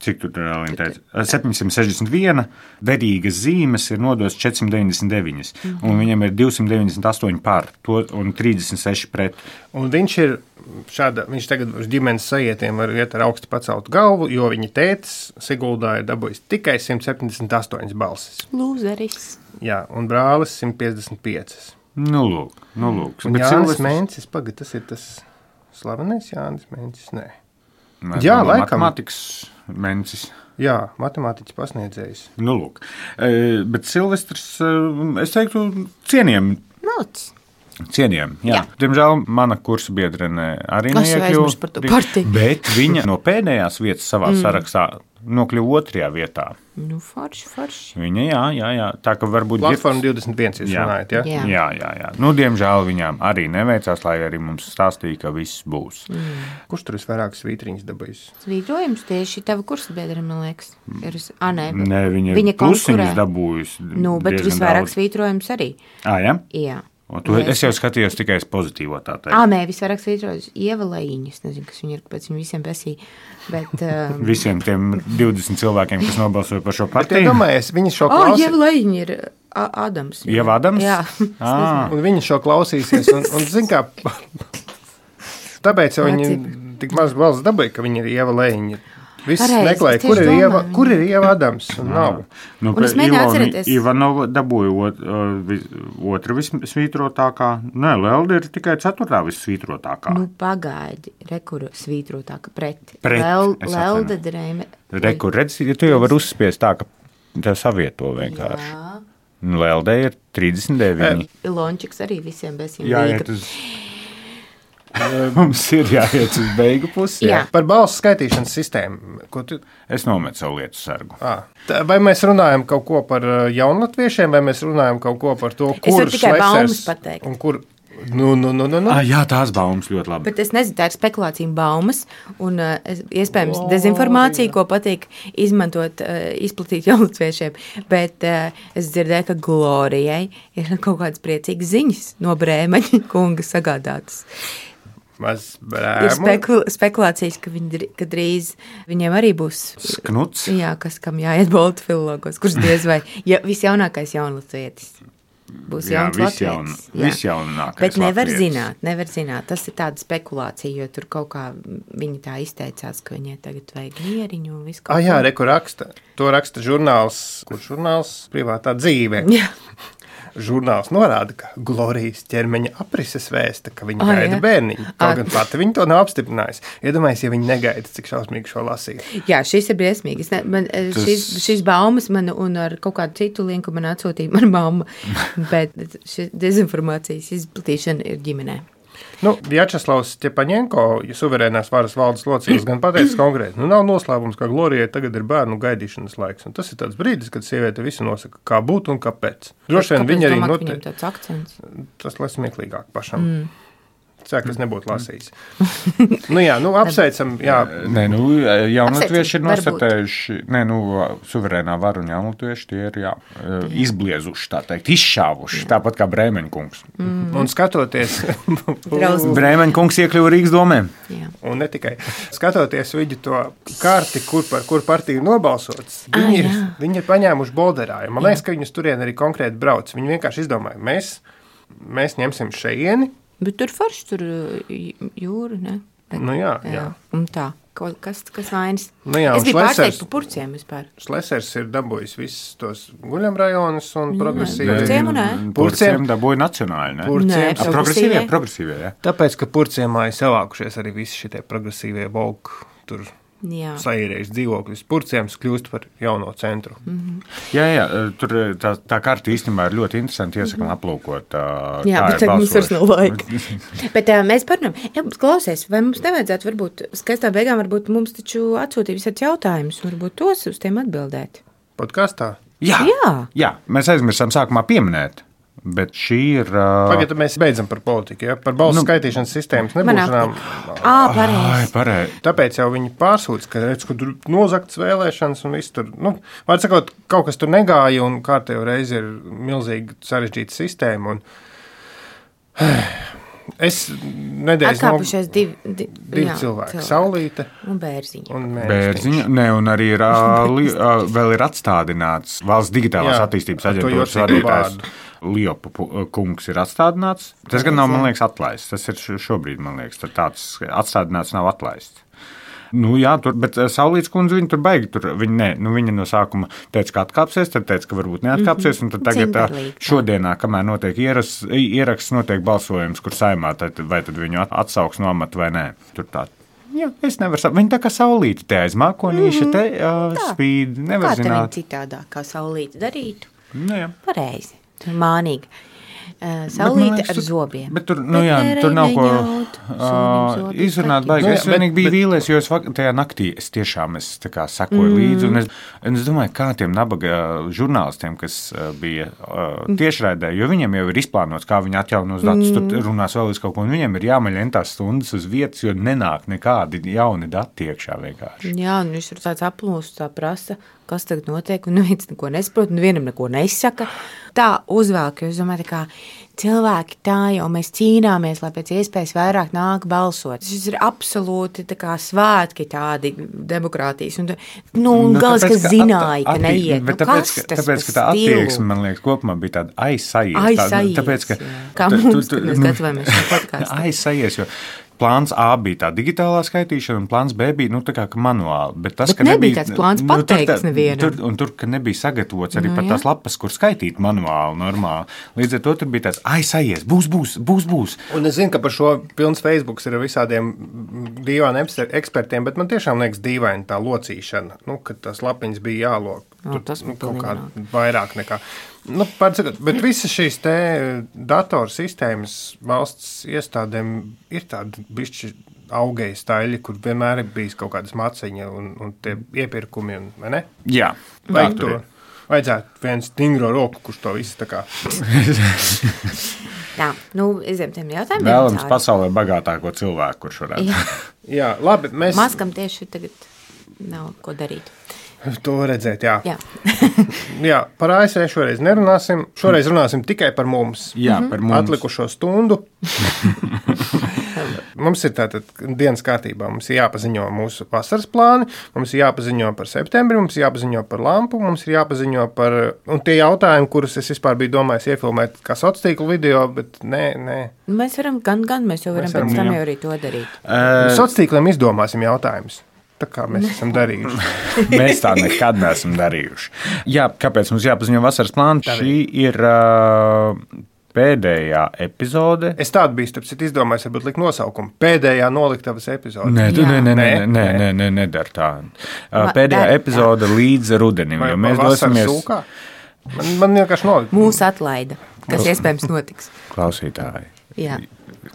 Cik tur ir teica? septiņsimt sešdesmit viens, derīgas zīmes ir nodotas četrsimt deviņdesmit deviņi, mm-hmm. un viņam ir divsimt deviņdesmit astoņi par to un trīsdesmit seši pret. Un viņš ir šāda, viņš tagad uz ģimenes sajietiem var iet ar augstu paceltu galvu, jo viņa tētis Siguldā ir dabūjis tikai simt septiņdesmit astoņas balsis. Lūzeris. Jā, un brālis simt piecdesmit piecas. Nu, lūk, nu, lūk. Un Jānis Silvestris... Mencis, pagad, tas ir tas slavenais Jānis Mencis, nē. Mēs Jā, laikam. Matemātikas Mencis. Jā, matemātiķis pasniedzējs. Nu, lūk. E, bet Silvestris, es teiktu, cienījam. Nāc. Cienījam, jā. jā. Diemžēl mana kursa biedrene arī neiekļuva, bet viņa no pēdējās vietas savā mm. sarakstā nokļuva otrajā vietā. Nu, forši, forši. Viņa, jā, jā, jā. Tā, ka varbūt... Platforma divdesmit viens jūs runājat, jā? Jā. jā, jā, jā. Nu, diemžēl viņām arī neveicās, lai arī mums stāstīja, ka viss būs. Mm. Kurš tur visvairāk svītriņas dabūjis? Svītrojums tieši tava kursa biedra, man liekas. Ir, a, nē, nē, viņa, viņa plusiņas dabūjis. Nu, bet visvairāk daudz. Svītrojums arī. Ā, jā? Jā. Tu, es jau skatījos tikai uz pozitīvo tā teikt. Ā, nē, visvairāk svītrojas Ieva Lejiņa. Es nezinu, kas viņa ir, kāpēc viņa visiem besīja. Bet, um... visiem tiem divdesmit cilvēkiem, kas nobalsoja par šo partiju. Bet, ja domājies, viņa šo klausī... klausī... O, Ieva Lejiņa ir Ādams. Ieva Ādams? Jā. Un viņa šo klausīsies. Un, un zin kā, tāpēc jau viņa tik maz balsts dabīja, ka viņa ir Ieva Lejiņa. Viss meklēja, kur ir, Ieva, kur ir Ieva Adams, un nav. Nu, un es mēģināju atcerēties. Ivanova dabūja ot, otra vissvītrotākā. Nē, Lelda ir tikai ceturtā vissvītrotākā. Nu, pagaidi, rekur svītrotāka pret. Pret. Lel, Lelda drēme. Rekur, redz, ja tu jau var uzspiest tā, ka tev savieto vienkārši. Jā. Lelda ir trīsdesmit deviņi. Ilončiks arī visiem besiem. Jā, jā, tas... Mums ir jāiet uz beigu pusi. Jā. Par balsu skaitīšanas sistēmu. Ko tu... Es nometu savu lietu sargu. À, tā, vai mēs runājam kaut ko par jaunlatviešiem, vai mēs runājam kaut ko par to, kur Šlesers un kur... Nu, nu, nu, nu, nu. À, jā, tās baumas ļoti labi. Bet es nezinu, tā ir spekulācija baumas un uh, iespējams oh, dezinformācija, jā. Ko patīk izmantot, uh, izplatīt jaunlatviešiem. Bet uh, es dzirdēju, ka Glorijai ir kaut kādas priecīgas ziņas no Brēmeņa kunga sagādātas. Ir spekul spekulācijas, ka, viņi, ka drīz viņiem arī būs Sknuts. Jā, kas kam jāiet Boltu filologos, kurš diez vai ja, visjaunākais jaunlatvietis. Būs jā, jauns latvietis. Visjaunākais Bet nevar latvietis. zināt, nevar zināt. Tas ir tāda spekulācija, jo tur kaut kā viņi tā izteicās, ka viņai tagad vajag mieriņu un visu kaut ko. Ah, jā, reku raksta. To raksta žurnāls, kurš žurnāls privātā dzīve. Jā. Žurnāls norāda, ka Glorijas ķermeņa aprises vēsta, ka viņa oh, gaida bērniņu. Kaut gan pati viņa to nav apstiprinājusi. Iedomājies, ja viņa negaida, cik šausmīgi šo lasīt. Jā, šis ir briesmīgi. Ne, man, Tas... šis, šis baumas man un ar kaut kādu citu linku man atsūtīja mana mamma, bet šis dezinformācijas izplatīšana ir ģimenē. Nu, Vjačeslavs Stepaņenko, suverēnās varas valdes loceklis, gan pateicis konkrēti, nu nav noslēpums, ka Glorijai tagad ir bērnu gaidīšanas laiks. Un tas ir tāds brīdis, kad sieviete visu nosaka, kā būt un kāpēc. Droši vien viņa arī note... tāds akcents? Tas lai smieklīgāk pašam. Mm. Cēk, es nebūtu lasījis. nu jā, nu apsveicam, jā. Nē, nu, jaunatvieši ir nostatējuši, nē, nu, suverēnā vara un jaunatvieši tie ir, jā, izbliezuši, tā teikt, izšāvuši, jā. Tāpat kā Brēmeņkungs. Mm. Un skatoties... Brēmeņkungs iekļuva Rīgas domē. Jā. Un ne tikai. Skatoties viņu to karti, kur par kur partiju nobalsots, viņi, ah, ir, viņi ir paņēmuši bolderāju. Man liekas, ka viņus turien arī konkrēti brauc. Viņi vienkārši izdomāja, mēs, mēs ņemsim šeieni. Bet tur forši tur jūra, ne? Nu jā, jā. jā. Un tā. kas, kas vainas. Nu jā, es biju Šlesers, pārsteigts par purciem vispār. Šlesers ir dabūjis visus tos guļamrajonus un progresīvi. Purciem un nē. Purciem dabūja nacionāli, ne? Purciem. Nē, Progresīvie, progresīvie, jā. Tāpēc, ka purciemā ir savākušies arī visi šitie progresīvie volku tur. Jā. Saīrējuši dzīvokļus. Purciems kļūst par jauno centru. Mm-hmm. Jā, jā, tur tā, tā karta īstenībā ir ļoti interesanti. Iesakām aplūkot. Tā, jā, bet tagad mums vairs nav laika. bet uh, mēs parunājam, jā, klausies, vai mums nevajadzētu varbūt, skaistā beigām varbūt mums taču atsūtīt visāds jautājumus, varbūt tos uz tiem atbildēt. Podkastā? Jā, jā. jā, mēs aizmirsām sākumā pieminēt. Bet šī ir. Uh... Pagaidā mēs beidzam par politiku, ja? Par balsu nu, skaitīšanas sistēmas nebūšanām. Ā, pareizi. pareizi. Tāpēc jau viņi pārsūdz, ka, redz, ka tur nozakts vēlēšanas un viss tur. Nu, var sakot, kaut kas tur negāja un kārtējo reizi ir milzīgi sarežģīta sistēma. Un... Es nedēļas atkāpušies divi, divi, divi jā, cilvēki. cilvēki. Saulīte un Bērziņa. Un Bērziņa, ne, un arī ir, li, vēl ir atstādināts Valsts digitālās jā, attīstības aģentūras vadītājs. Liepa kungs ir atstādināts. Tas gan nav, man liekas, atlaists. Tas ir šobrīd, man liekas, tāds atstādināts nav atlaists. Nu, jā, tur, bet Saulītes kundze viņa tur baigi. Tur, viņa, ne, nu, viņa no sākuma teica, ka atkāpsies, tad teica, ka varbūt neatkāpsies. Un tad tagad tā, šodienā, kamēr notiek ieras, ieraksts, notiek balsojums, kur saimā, tad, vai tad viņu atsauks no amata vai nē. Tur tā. Jā, es nevaru saprast. Viņa tā kā Saulīte te aiz mākonīša, te uh, spīd. Nevar kā zināt. Kā citādāk, kā Saulīte darītu? Nu, jā. Pareizi. Tur mānīgi. Uh, Saulīte liekas, ar zobiem. Bet tur, nu jā, tur nav ko uh, izrunāt baigi. Es vienīgi biju vīlies, jo es tajā naktī es tiešām es tā kā sakoju mm. līdzi. Un es, un es domāju, kā tiem nabaga žurnālistiem, kas uh, bija uh, tiešraidē, jo viņiem jau ir izplānots, kā viņi atjaunos datus, mm. tur runās vēl uz kaut ko, un viņiem ir jāmaļ entās stundas uz vietas, jo nenāk nekādi jauni dati iekšā vienkārši. Jā, un viņš tur tāds aplūst, tā prasa, kas tagad notiek, un neviens neko nesaprot, un vienam neko nesaka. Tā uzvelk, jo es domāju, tā kā cilvēki tā jau mēs cīnāmies, lai pēc iespējas vairāk nāk balsot. Šis ir absolūti tā kā svētki tādi demokrātijas. Un, nu, un nu, galas, kas zināja, ka neiet. Nu, tāpēc, kas tas tāpēc, ka tā attieksme, man liekas, kopumā bija tāda aizsajies. Aizsajies, tāpēc, ka, kā mums, kad mēs gatavojamies šo podcastu. Aizsajies, jo plāns A bija tā digitālā skaitīšana, un plāns B bija, nu, tā kā manuāli. Bet tas, bet ka nebija nebija tāds plāns nu, pateikts tur, nevienam. Tur, un tur, ka nebija sagatavots arī no, pat tās lapas, kur skaitīt manuāli, normāli. Līdz ar to tur bija tāds, aizsajies, būs, būs, būs, būs. Un es zinu, ka par šo pilns Facebooks ir visādiem dīvainiem ekspertiem, bet man tiešām liekas dīvaini tā locīšana, nu, kad tās lapiņas bija jālok. No, tas nu, kaut kā vairāk nekā. Nu, pārcakot, bet visas šīs te datorsistēmas valsts iestādēm ir tādi bišķi augēji staļi, kur vienmēr ir bijis kaut kādas maciņa un, un tie iepirkumi, un, vai ne? Jā. Vajag to. Vajadzētu viens stingro roku, kurš to visu tā kā. Jā, nu, iziem tiem jautājumiem. Vēlams pasaulē bagātāko cilvēku, kurš varētu. Jā, Jā labi, mēs. Maskam tieši tagad nav ko darīt. To redzēt, jā. Jā. jā, par A S V šoreiz nerunāsim. Šoreiz runāsim tikai par mums. Jā, par mums. Atlikušo stundu. Mums ir tātad dienas kārtībā. Mums ir jāpaziņo mūsu vasaras plāni, mums ir jāpaziņo par septembri, mums ir jāpaziņo par lampu, mums ir jāpaziņo par... Un tie jautājumi, kurus es vispār biju domājis iefilmēt kā sociālo video, bet nē, nē. Mēs varam, gan, gan mēs jau varam mēs varam, pēc tam jau arī to darīt. Uh, Sociāliem izdomāsim jautājumus. Tā kā mēs esam darījuši. Mēs tā nekad neesam darījuši. Jā, kāpēc mums jāpaziņo vasaras plānu? Šī ir uh, pēdējā epizode. Es tādu biju, tāpēc izdomājis, varbūt likt nosaukumu. Pēdējā noliktavas epizode. Nē, tu, nē, nē, nē, nē, nē, nē, nedar tā. Uh, pēdējā epizode līdz rudenim, vai, jo mēs dosimies... Sūkā? Man, man vienkārši nolikt. Mūs atlaida, kas iespējams notiks. Klausītāji. Jā.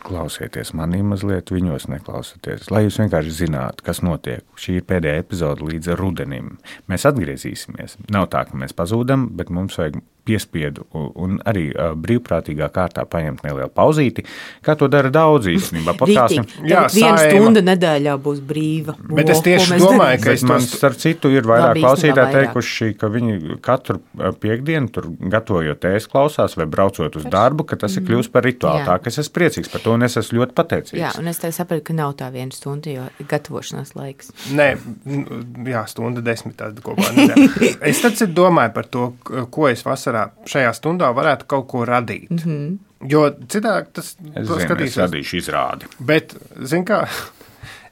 Klausieties manī mazliet, viņos neklausieties, lai jūs vienkārši zinātu, kas notiek. Šī ir pēdējā epizode līdz rudenim. Mēs atgriezīsimies. Nav tā, ka mēs pazūdam, bet mums vajag piespiedu un arī uh, brīvprātīgā kārtā paņemt nelielu pauzīti, kā to dara daudz īstenībā. Rītīgi, tagad viena stunda nedēļā būs brīva. Bet es tieši domāju, ka es man tos... starp citu ir vairāk klausītāji teikuši, ka viņi katru piekdienu tur gatavojot ēst klausās vai braucot uz darbu, ka tas ir kļūst par rituālu. Tā, ka es esmu priecīgs par to un es esmu ļoti pateicīgs. Jā, un es tev sapratu, ka nav tā viena stunda, jo ir gatavošanās laiks. Nē, jā, stunda desmit tāda kopā nedēļa. Es tad domāju par to, ko es vasarā šajā stundā varētu kaut ko radīt. Mm-hmm. Jo citādi tas es zinu, skatīsies. Es radīšu izrādi. Bet, zin kā,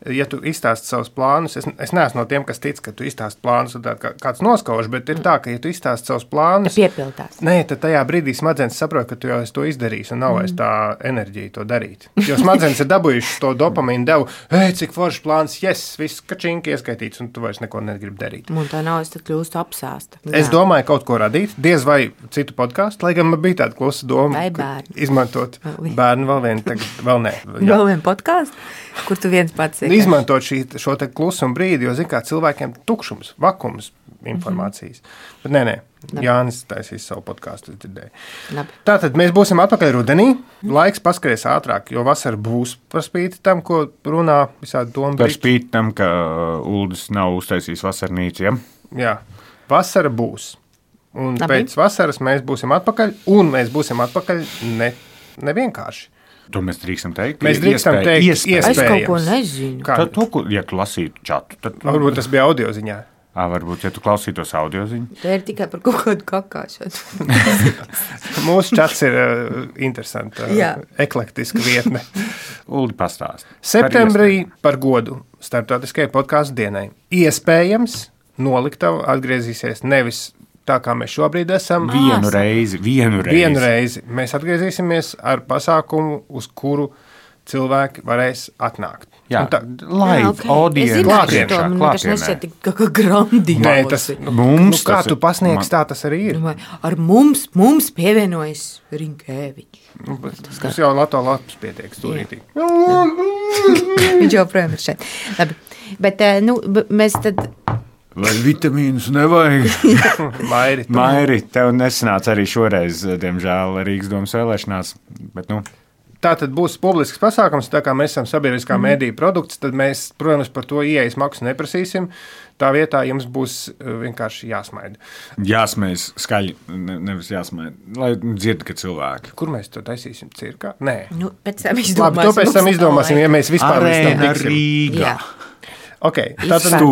ja tu izstāsti savus plānus, es, es neesmu no tiem, kas tic, ka tu izstāsti plānus, un tā, kā, kāds noskauž, bet ir tā, ka, ja tu izstāsti savus plānus, piepildās. Nē, tad tajā brīdī smadzenes saprot, ka tu jau esi to izdarījis, un nav vairs mm. tā enerģija to darīt. Jo smadzenes ir dabūjušas to dopamīnu devu, hei, cik foršs plāns, yes, viss kačinki ieskaitīts, un tu vairs neko negribi darīt. Un tā nav, es tad kļūstu apsāsta. Jā. Es domāju kaut ko radīt, diez vai citu podkāstu, lai gan man bija tāda klusa doma, izmantot bērnu vēl vienu, tagad vēl nē. Jā. Vēl vienu podkāstu, kur tu viens pats esi. Izmantot šī, šo te klusumu brīdi, jo, zin kā, cilvēkiem tukšums, vakums informācijas. Mm-hmm. Bet nē, nē, Labi. Jānis taisīs savu podkāstu, es dzirdēju. Labi. Tātad mēs būsim atpakaļ rudenī, laiks paskaries ātrāk, jo vasara būs par spīti tam, ko runā visādi domu. Par spīti tam, ka Uldis nav uztaisījis vasarnīcu, ja? Jā, vasara būs. Un Labi. Pēc vasaras mēs būsim atpakaļ, un mēs būsim atpakaļ ne, nevienkārši. To mēs drīkstam teikt? Mēs drīkstam Iespēj, teikt, iespējams. Es kaut ko nezinu. Kā? Tad, to, ja tu lasītu čatu, tad... Varbūt tas bija audio ziņā. À, varbūt, ja tu klausītos audio ziņu. Tā ir tikai par kaut kādu kakāšanu. Mūsu čats ir uh, interesanta, uh, eklektiska vietne. Uldi pastāst. Septembrī par, par godu starptautiskajai podkāstu dienai. Iespējams, noliktava atgriezīsies nevis tā, kā mēs šobrīd esam. Vienu reizi, vienu reizi. Vienu reizi. Mēs atgriezīsimies ar pasākumu, uz kuru cilvēki varēs atnākt. Jā, tā, live, jā, okay. audience. Klātienā. Man vienkārši nešķiet kā, kā grandiozi. Nē, tas, nu, mums, nu, kā tu pasniegs, man... tā tas arī ir. Ar mums, mums pievienojas Rinkēviņš. Tas, tas jau Lato Lapas pietiek stūrītī. Viņš jau projām ir šeit. Labi, bet nu, mēs tad... Vai vitamīnus nevajag? Mairi. Mairi, tev nesanāca arī šoreiz, diemžēl, Rīgas domas vēlēšanās, bet nu... Tā tad būs publisks pasākums, tā kā mēs esam sabiedriskā mm. mēdīja produkts, tad mēs, protams, par to ieejas maksu neprasīsim. Tā vietā jums būs vienkārši jāsmaida. Jāsmējas skaļi, ne, nevis jāsmaida, lai dzird, ka cilvēki. Kur mēs to taisīsim? Cirkā? Nē. Nu, pēc tam izdomāsim. Labi, to pēc tam izdomāsim, ja mēs vispār līdz tam tiksim. Rīgā. Okay, tātad,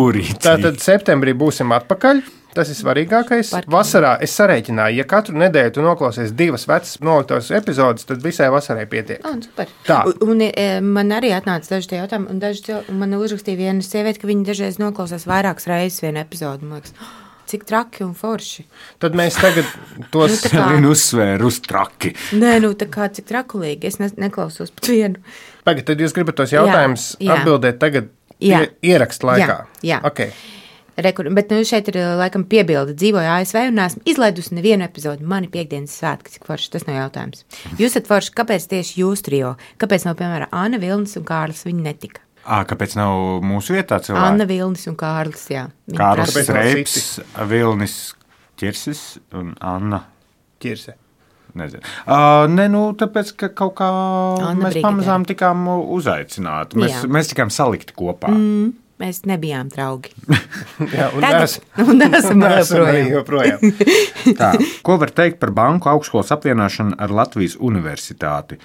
tātad septembrī būsim atpakaļ. Tas ir svarīgākais. Par vasarā es sarēķināju, ja katru nedēļu tu noklausies divas vecas noliktavas epizodes, tad visai vasarai pietiek. Oh, super. Tā. Un, un man arī atnāca daži tie jautājumi, un daži cilvēki, man uzrakstīja viena sieviete, ka viņi dažreiz noklausās vairākas reizes vienu epizodu. Man liekas, oh, cik traki un forši. Tad mēs tagad tos... nu, kā... Vienu uzsvēru uz traki. Nē, nu tā kā cik trakulīgi, es ne, neklausos pat vienu. Pagad, tad jūs gribat tos jautājumus jā, jā. atbildēt tagad jā. ierakst laikā? Jā, jā. Okay. Rekur, bet nu, šeit ir laikam piebilde. Dzīvoju A S V un esmu izlaidusi nevienu epizodu. Mani piekdienas svētki, cik forši, tas nav jautājums. Jūs esat forši, kāpēc tieši jūs trio? Kāpēc nav, piemēram, Anna Vilnis un Kārlis? Viņi netika. À, kāpēc nav mūsu vietā cilvēki? Anna Vilnis un Kārlis, jā. Viņi Kārlis Reips, Vilnis Ķirsis un Anna Ķirse. Nezinu. Uh, ne, nu, tāpēc, ka kaut kā Anna mēs Brigitē. pamazām tikām uzaicināti. Mēs, mēs tikām salikti kopā. Mm. Mēs nebijām draugi. Jā, un Tagad esam joprojām. Tā, ko var teikt par banku augstskolas apvienošanu ar Latvijas universitāti?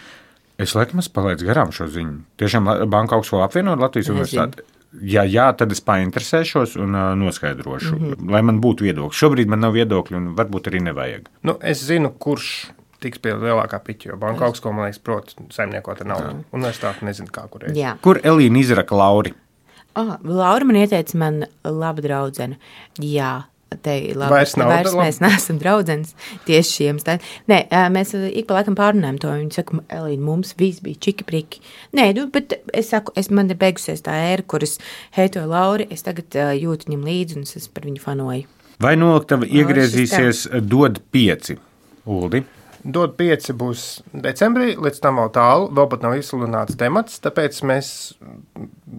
Es laikam esmu palaidis garām šo ziņu. Tiešām banku augstskola apvienot ar Latvijas Nezinu. universitāti? Ja jā, tad es painteresēšos un uh, noskaidrošu, mm-hmm. lai man būtu viedokļi. Šobrīd man nav viedokļi un varbūt arī nevajag. Nu, es zinu, kurš tiks pie lielākā piķa, jo banku augstskola, man liekas, prot saimniekot ar naudu. Universitāti nezinu, kā kur ir. Kur Elīna izraka Lauri? Oh, Laura man ieteica, man laba draudzene. Jā, te labi. Vairs nav. Vairs mēs neesam draudzenes tieši šiem stādiem. Nē, mēs ik pa laikam pārunājam to. Viņi saka, Elīna, mums viss bija čiki priki. Nē, nu, bet es saku, es, man ir beigusies tā ēra, kuras heitoju Lauri, es tagad uh, jūtu viņam līdzi un es par viņu fanoju. Vai noliktava iegriezīsies dod pieci, Uldi? Dod pieci būs decembrī, līdz tam vēl tālu, vēl pat nav izsludināts temats, tāpēc mēs,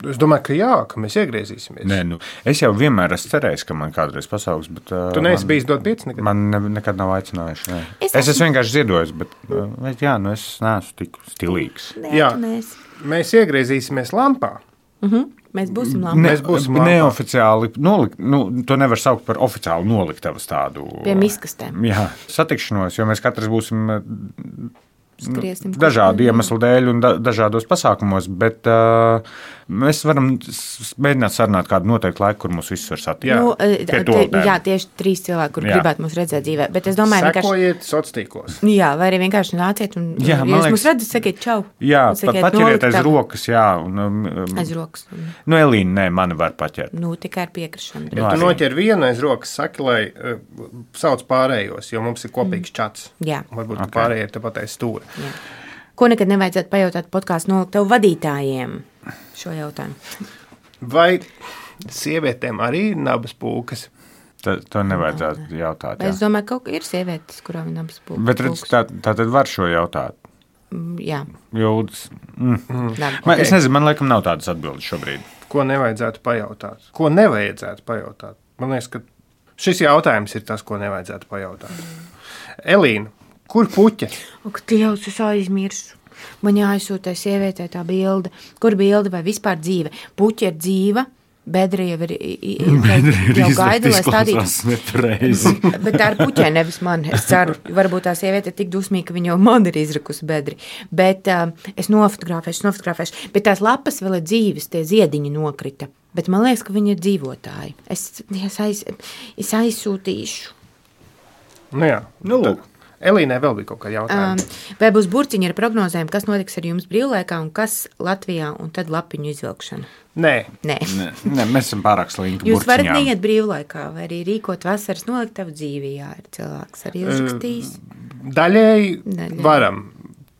es domāju, ka jā, ka mēs iegriezīsimies. Nē, nu, es jau vienmēr esmu cerējis, ka man kādreiz pasaugs, bet... Tu neesi bijis dod pieci nekad? Man ne, nekad nav aicinājuši, nē. Es, es esmu vienkārši ziedojis, bet, jā, nu es neesmu tik stilīgs. Nē, jā, mēs. mēs iegriezīsimies lampā. Mhm. Mēs būsim labi. Ne, mēs būsim labi. Neoficiāli nolikt, nu, to nevar saukt par oficiālu noliktavas tādu. Pie miskastēm. Jā, satikšanos, jo mēs katrs būsim skriesim. Dažādu iemeslu dēļ un da, dažādos pasākumos, bet uh, mēs varam mēģināt sarunāt kādu noteiktu laiku, kur mūs visus var satikt. Jā. Nu, te, jā, tieši trīs cilvēki, kur jā. gribētu mūs redzēt dzīvē. Bet es domāju, sekojiet sociālos tīklos. Jā, vai arī vienkārši nāciet un, jā, ja jūs mūs redzat, sakiet čau. Jā, pat paķeriet aiz rokas, jā. Un, um, aiz rokas. Un... Nu, Elīna, nē, mani var paķert. Nu, tikai ar piekrišanu. Ja tu noķer vienu aiz rokas, saki, lai uh, sauc pārējos, jo mums ir kopīgs čats. Jā. Varbūt okay. pārējie ir tepat aiz stūra. Jā. Ko nekad nevajadzētu pajautāt podkāstu nolikt tev vadītājiem šo jautājumu? Vai sievietēm arī ir nabas pūkas? Tā, to nevajadzētu jautāt. Jā. Es domāju, ka ir sievietes, kurām ir nabas pūkas. Bet redz, tā, tā tad var šo jautāt. Mm, jā. Jūtas. Mm. Mm. Labi, man, okay. Es nezinu, man laikam nav tādas atbildes šobrīd. Ko nevajadzētu pajautāt? Ko nevajadzētu pajautāt? Man liekas, ka šis jautājums ir tas, ko nevajadzētu pajautāt. Mm. Elīna. Kur puķe? Ak, Dievs, es aizmirsu. Man jāizsūta sievietē tā bilde. Kur bilde vai vispār dzīve? Puķe ir dzīva, bedra jau ir, jau gaida, lai stādītu. Bet tā ir puķē, nevis man. Es ceru, varbūt tā sieviete ir tik dusmīga, ka viņa jau man ir izrakusi bedri. Bet uh, es nofotografēšu, nofotografēšu. Bet tās lapas vēl ir dzīves, tie ziediņi nokrita. Bet man liekas, ka viņi ir dzīvotāji. Es, es, aiz, es aizsūtīšu. Nu jā, nu lūk. Elīnai vēl bija kaut kāda jautājuma. Um, vai būs burciņi ar prognozēm, kas notiks ar jums brīvlaikā un kas Latvijā un tad lapiņu izvilkšana? Nē. Nē. Nē, nē, mēs esam pārāk slinki Jūs burciņām. varat neiet brīvlaikā vai arī rīkot vasaras noliktavu dzīvi, jā, ir cilvēks arī uzrakstījis. Daļēji, Daļēji varam.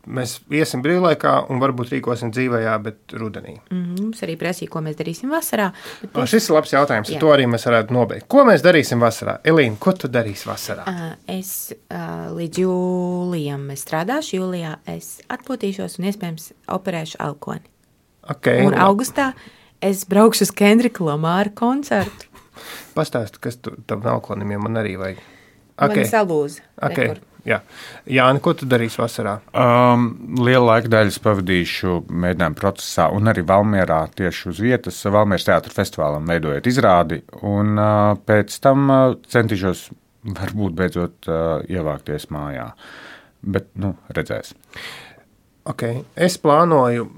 Mēs iesim brīvlaikā un varbūt rīkosim dzīvējā, bet rudenī. Mm, mums arī prasīja, ko mēs darīsim vasarā. O, šis ir labs jautājums, ar to arī mēs varētu nobeigt. Ko mēs darīsim vasarā? Elīna, ko tu darīsi vasarā? Uh, es uh, līdz jūlijam strādāšu, jūlijā es atpūtīšos un iespējams operēšu alkoni. Okay, un augustā es braukšu uz Kendrika Lamāra koncertu. Pastāsti, kas tu tam alkonim, jo man arī vajag. Okay. Man salūza. Okay. Jā, Jāni, ko tu darīsi vasarā? Um, lielu laika daļu pavadīšu mēģinājumu procesā un arī Valmierā tieši uz vietas. Valmieras teātra festivālam veidojot izrādi un uh, pēc tam uh, centīšos varbūt beidzot uh, ievākties mājā. Bet, nu, redzēs. Okay. Es plānoju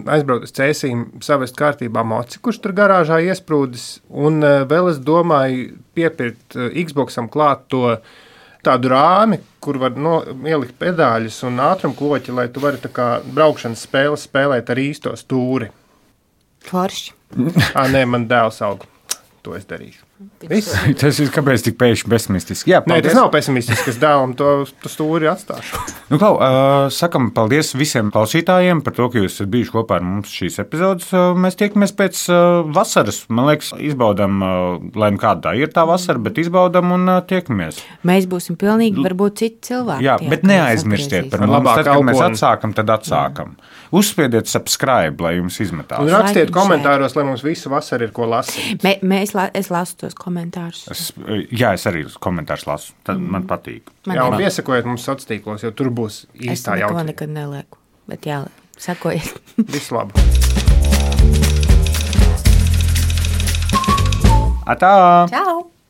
aizbraukt uz Cēsīm, savest kārtībā moci, kurš tur garāžā iesprūdis, un uh, vēl es domāju piepirkt uh, Xboxam klāt to tādu rāmi, kur var no, ielikt pedāļus un ātrumkloķi, lai tu vari tā kā braukšanas spēles spēlēt ar īsto stūri. Forši. Ā, nē, man dēls aug. To es darīšu. Tas ir kāpēc tik pēkšņi pesimistiski? Jā, paldies. Nē, tas nav pesimistisks, es dēlam to, to stūri atstāšu. Nu, klau, uh, sakam paldies visiem klausītājiem par to, ka jūs esat bijuši kopā ar mums šīs epizodes. Uh, mēs tiekamies pēc uh, vasaras. Man liekas, izbaudam, uh, lai nu kāda tā ir tā vasara, bet izbaudam un uh, tiekamies. Mēs būsim pilnīgi, varbūt citi cilvēki. Jā, tie, bet neaizmirstiet par mums. Tad, kad mēs atsākam, tad atsākam. Jā. Uzspiediet subscribe, lai jums izmetās. Un rakstiet Laikim komentāros, šeit. Lai mums visu vasaru ir ko lasīt. Mē, mēs, la, es lasu tos komentārus. Es, jā, es arī komentārus lasu. Tad mm. man patīk. Man jā, un piesakojiet mums sociālos tīklos, jo tur būs īstā jautājuma. Es neko nekad nelieku, bet jā, sakojiet. Visu labu. Atā! Čau!